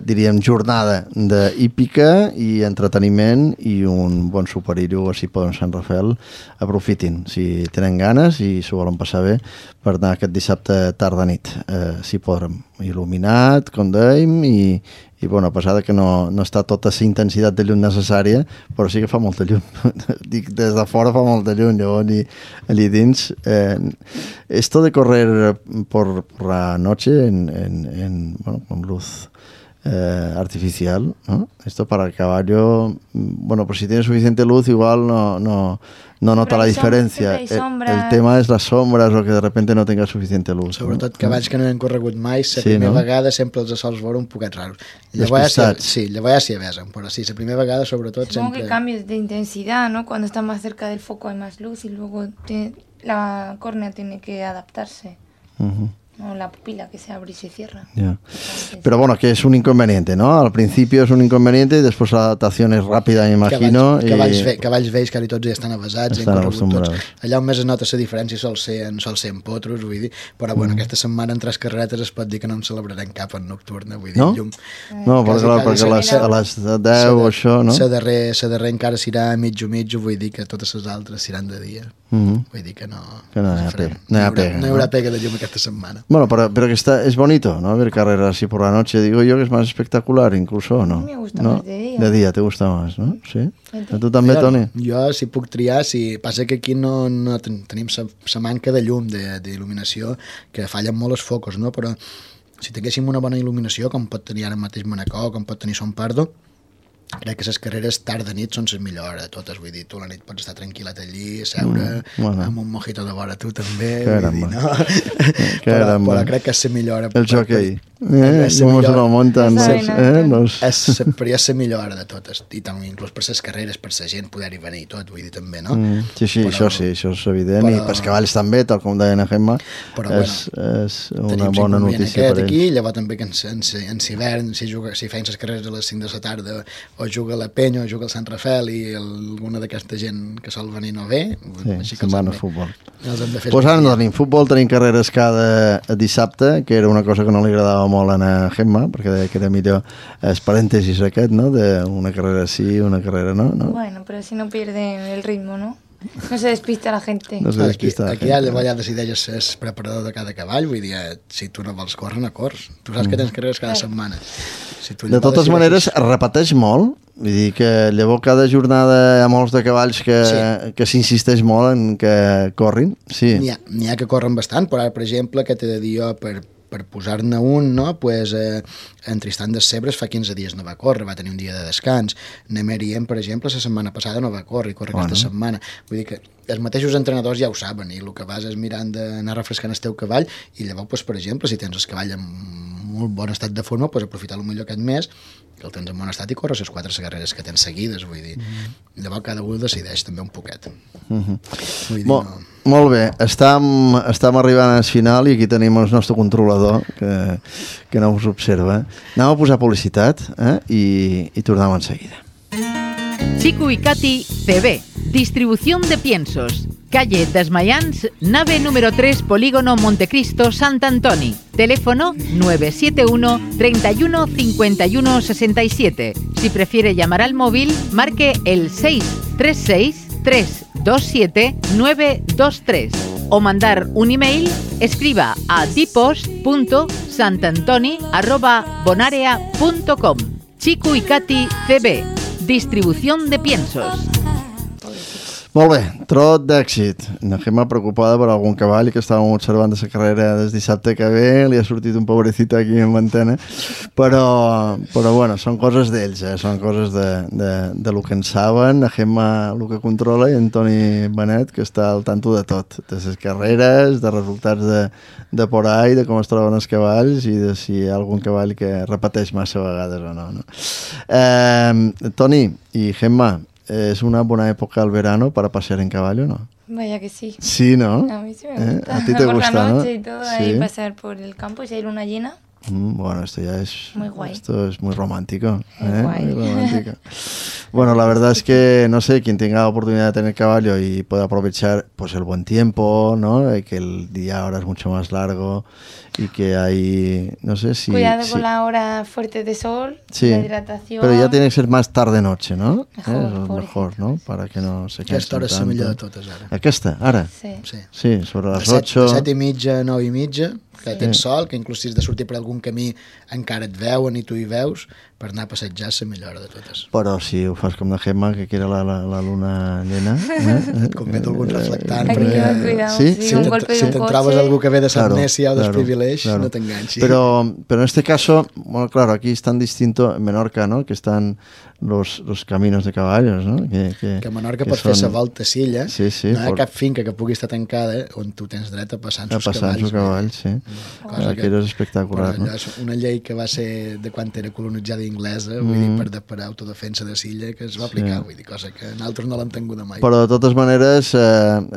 diríem jornada d'hípica i entreteniment i un bon superhero així per Sant Rafael. Aprofitin si tenen ganes i s'ho volen passar bé per anar aquest dissabte tarda nit, si podrem, il·luminat, com dèiem, i bona passada que no està tota la intensitat de llum necessària, però sí que fa molta llum. Dic, des de fora fa molta llum, llavors allí dins. Esto de correr por la noche con luz artificial, ¿no? Esto para el caballo, bueno, pues si tiene suficiente luz igual no nota la diferència. El tema és les sombres o que de repente no tenga suficiente luz. Sobretot cavalls que no han corregut mai, la primera vegada sempre els sols veure un poquet raros. Llavors sí avesen, però sí, la primera vegada sobretot Supongo sempre... que cambios de intensidad, ¿no? Cuando está más cerca del foco hay más luz y luego la córnea tiene que adaptarse. No, la pupila que se abre y se cierra. Yeah. Pero bueno, que es un inconveniente, ¿no? Al principio es un inconveniente y después la adaptación es rápida, me imagino. Cavalls vells que tots ja estan avasats, estan acostumbrats. Allà on més es nota la diferència sol ser en potros, vull dir, però bueno, aquesta setmana en 3 carreretes es pot dir que no en celebrarem cap en nocturna, vull dir, no? llum. No, perquè a les 10 o això, no? La darrer encara s'irà mitjo, vull dir que totes les altres seran de dia. Vull dir que no hi haurà pega de llum aquesta setmana. Bueno, pero que es bonito, ¿no? Ver carreras así por la noche, digo yo que es más espectacular incluso, ¿o no? A mí me gusta más de día. De día te gusta más, ¿no? Sí. ¿A tu també, Toni? Jo, si puc triar, passa que aquí no tenim la manca de llum, d'il·luminació, que fallen molt els focus, no? Però si tinguéssim una bona il·luminació, com pot tenir ara mateix Manacor, com pot tenir Son Pardo, crec que les carreres tard-de-nit són les millors de totes, vull dir, tu la nit pots estar tranquil·let allí, seure amb un mojito de vora tu també, vull dir, no? Però crec que és la millor. El jockey. Com se lo montan però és la millor de totes, i també inclús per les carreres, per la gent poder-hi venir i tot, vull dir, també, no? Sí, això és evident, i pels cavalls també, tal com deia la Gemma, és una bona notícia per ells. Aquí, llavors també que en hivern, si feien les carreres a les 5 de la tarda, o juga la Penya o juga el Sant Rafael i alguna d'aquesta gent que sol venir no ve, sí, se'n van a futbol. Pues ara no tenim futbol, tenim carreres cada dissabte, que era una cosa que no li agradava molt a Gemma, perquè deia que era millor els parèntesis aquest, no? D'una carrera sí, una carrera no. Bueno, però si no pierden el ritmo, ¿no? No se despista la gente. No se despista aquí ja decideixes ser preparador de cada cavall, vull dir, si tu no vols córrer, no corres. Tu saps que tens carreres cada setmana. De totes maneres, es repeteix molt, vull dir que llavors cada jornada hi ha molts de cavalls que s'insisteix molt en que corrin. Sí. N'hi ha que corren bastant, però ara, per exemple, que t'he de dir jo, per posar-ne un, no? Pues, en Tristan des Sebres fa 15 dies no va córrer, va tenir un dia de descans. Nemerien, per exemple, la setmana passada no va córrer, aquesta setmana. Vull dir que els mateixos entrenadors ja ho saben, i el que vas és mirant d'anar refrescant el teu cavall, i llavors, pues, per exemple, si tens el cavall en molt bon estat de forma, pues, aprofitar millor aquest mes, que el tens en bon estat i corres les 4 carreres que tens seguides, vull dir. Llavors cada un decideix també un poquet. Vull dir, molt bé, estem arribant al final i aquí tenim el nostre controlador que no us observa. Anem a posar publicitat i tornem en seguida. Chico y Katy CB, distribución de piensos. Calle Desmayans, nave número 3, Polígono Montecristo, Sant Antoni. Teléfono 971 31 51 67. Si prefiere llamar al móvil, marque el 636 327 923. O mandar un email, escriba a dipos.santantoni@bonarea.com. Chico y Katy CB, distribución de piensos. Molt bé, trot d'èxit. La Gemma preocupada per algun cavall que estàvem observant de la carrera des dissabte que ve, li ha sortit un pobrecito aquí en antena, però bueno, són coses d'ells, són coses de lo que en saben, la Gemma el que controla i en Toni Benet que està al tanto de tot, de les carreres, de resultats de por ahí, de com es troben els cavalls i de si hi ha algun cavall que repeteix massa vegades o no. Toni i Gemma, ¿es una buena época el verano para pasear en caballo, no? Vaya que sí. Sí, ¿no? A mí sí me gusta. A ti te gusta, por la noche ¿no? Y todo, Sí. ahí pasar por el campo y si hay luna llena. Bueno, esto ya es... Muy guay. Esto es muy romántico. Muy guay. Muy romántico. Bueno, la verdad es que, no sé, quien tenga la oportunidad de tener caballo y pueda aprovechar pues el buen tiempo, ¿no? Que el día ahora es mucho más largo y que hay, no sé si... Cuidado con la hora fuerte de sol, Sí, la hidratación. pero ya tiene que ser más tarde-noche, ¿no? Mejor, Eso es por mejor, ejemplo, ¿no? sí. Para que no se cansen Aquesta hora és la tanto. millor de totes, ara. Aquesta, ara? Sí. Sí. Sí, sobre De las 8... 7 i mitja, 9 i mitja, que tens sol, que inclús si has de sortir per algun camí encara et veuen i tu hi veus, per anar a passejar és la millora de totes. Però si ho fas com de Gemma, que era la luna llena... Et convido algun reflectant. Hay que llevar cuidado, Sí? sí, un golpe de Si un te'n trobes coche. algú que ve de Samnesia o Claro, desprivilegi, claro. no t'enganxi. Pero en este caso, bueno, claro, aquí es tan distinto en Menorca, ¿no? Que están los caminos de caballos, ¿no? Que a Menorca que pots fer la volta a Silla, Sí, sí, no hi ha cap finca que pugui estar tancada on tu tens dret a passar amb els cavalls. cavalls, sí. Aquello és espectacular, però no? allò és una llei que va ser de quan era colonitzada inglesa, vull dir, per autodefensa de Silla, que es va aplicar, vull dir, cosa que nosaltres no l'hem tingut mai. Però de totes maneres,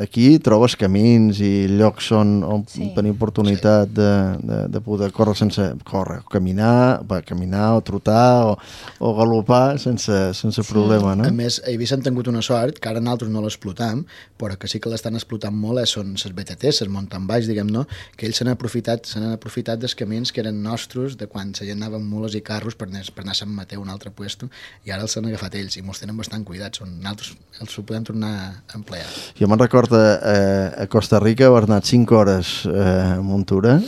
aquí trobes camins i llocs on tenir oportunitat de poder córrer sense córrer, caminar o trotar o galopar sense problema, no? A més, a Eivissa han tingut una sort, que ara nosaltres no l'explotam, però que sí que l'estan explotant molt, són les BTTs, les mountain bikes, diguem, no? Que ells s'han aprofitat dels camins que eren nostres de quan la gent anava amb mules i carros per anar a Sant Mateu, un altre puesto, i ara els han agafat ells i mos tenen bastant cuidats, nosaltres els ho podem tornar a emplear. Jo me'n recordo a Costa Rica haver anat 5 hores a muntura,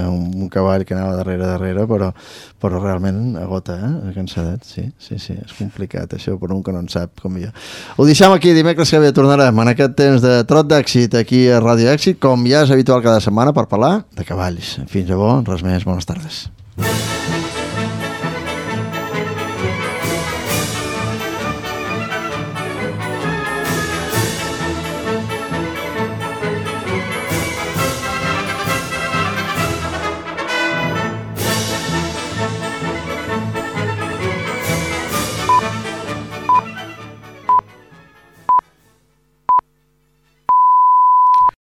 un cavall que anava darrere, però realment agota, cansadet, sí, és complicat això per un que no en sap com jo. Ho deixem aquí, dimecres que ve tornarem en aquest temps de Trot d'Èxit aquí a Ràdio Èxit, com ja és habitual cada setmana per parlar de cavalls. Fins llavors, res més, bones tardes.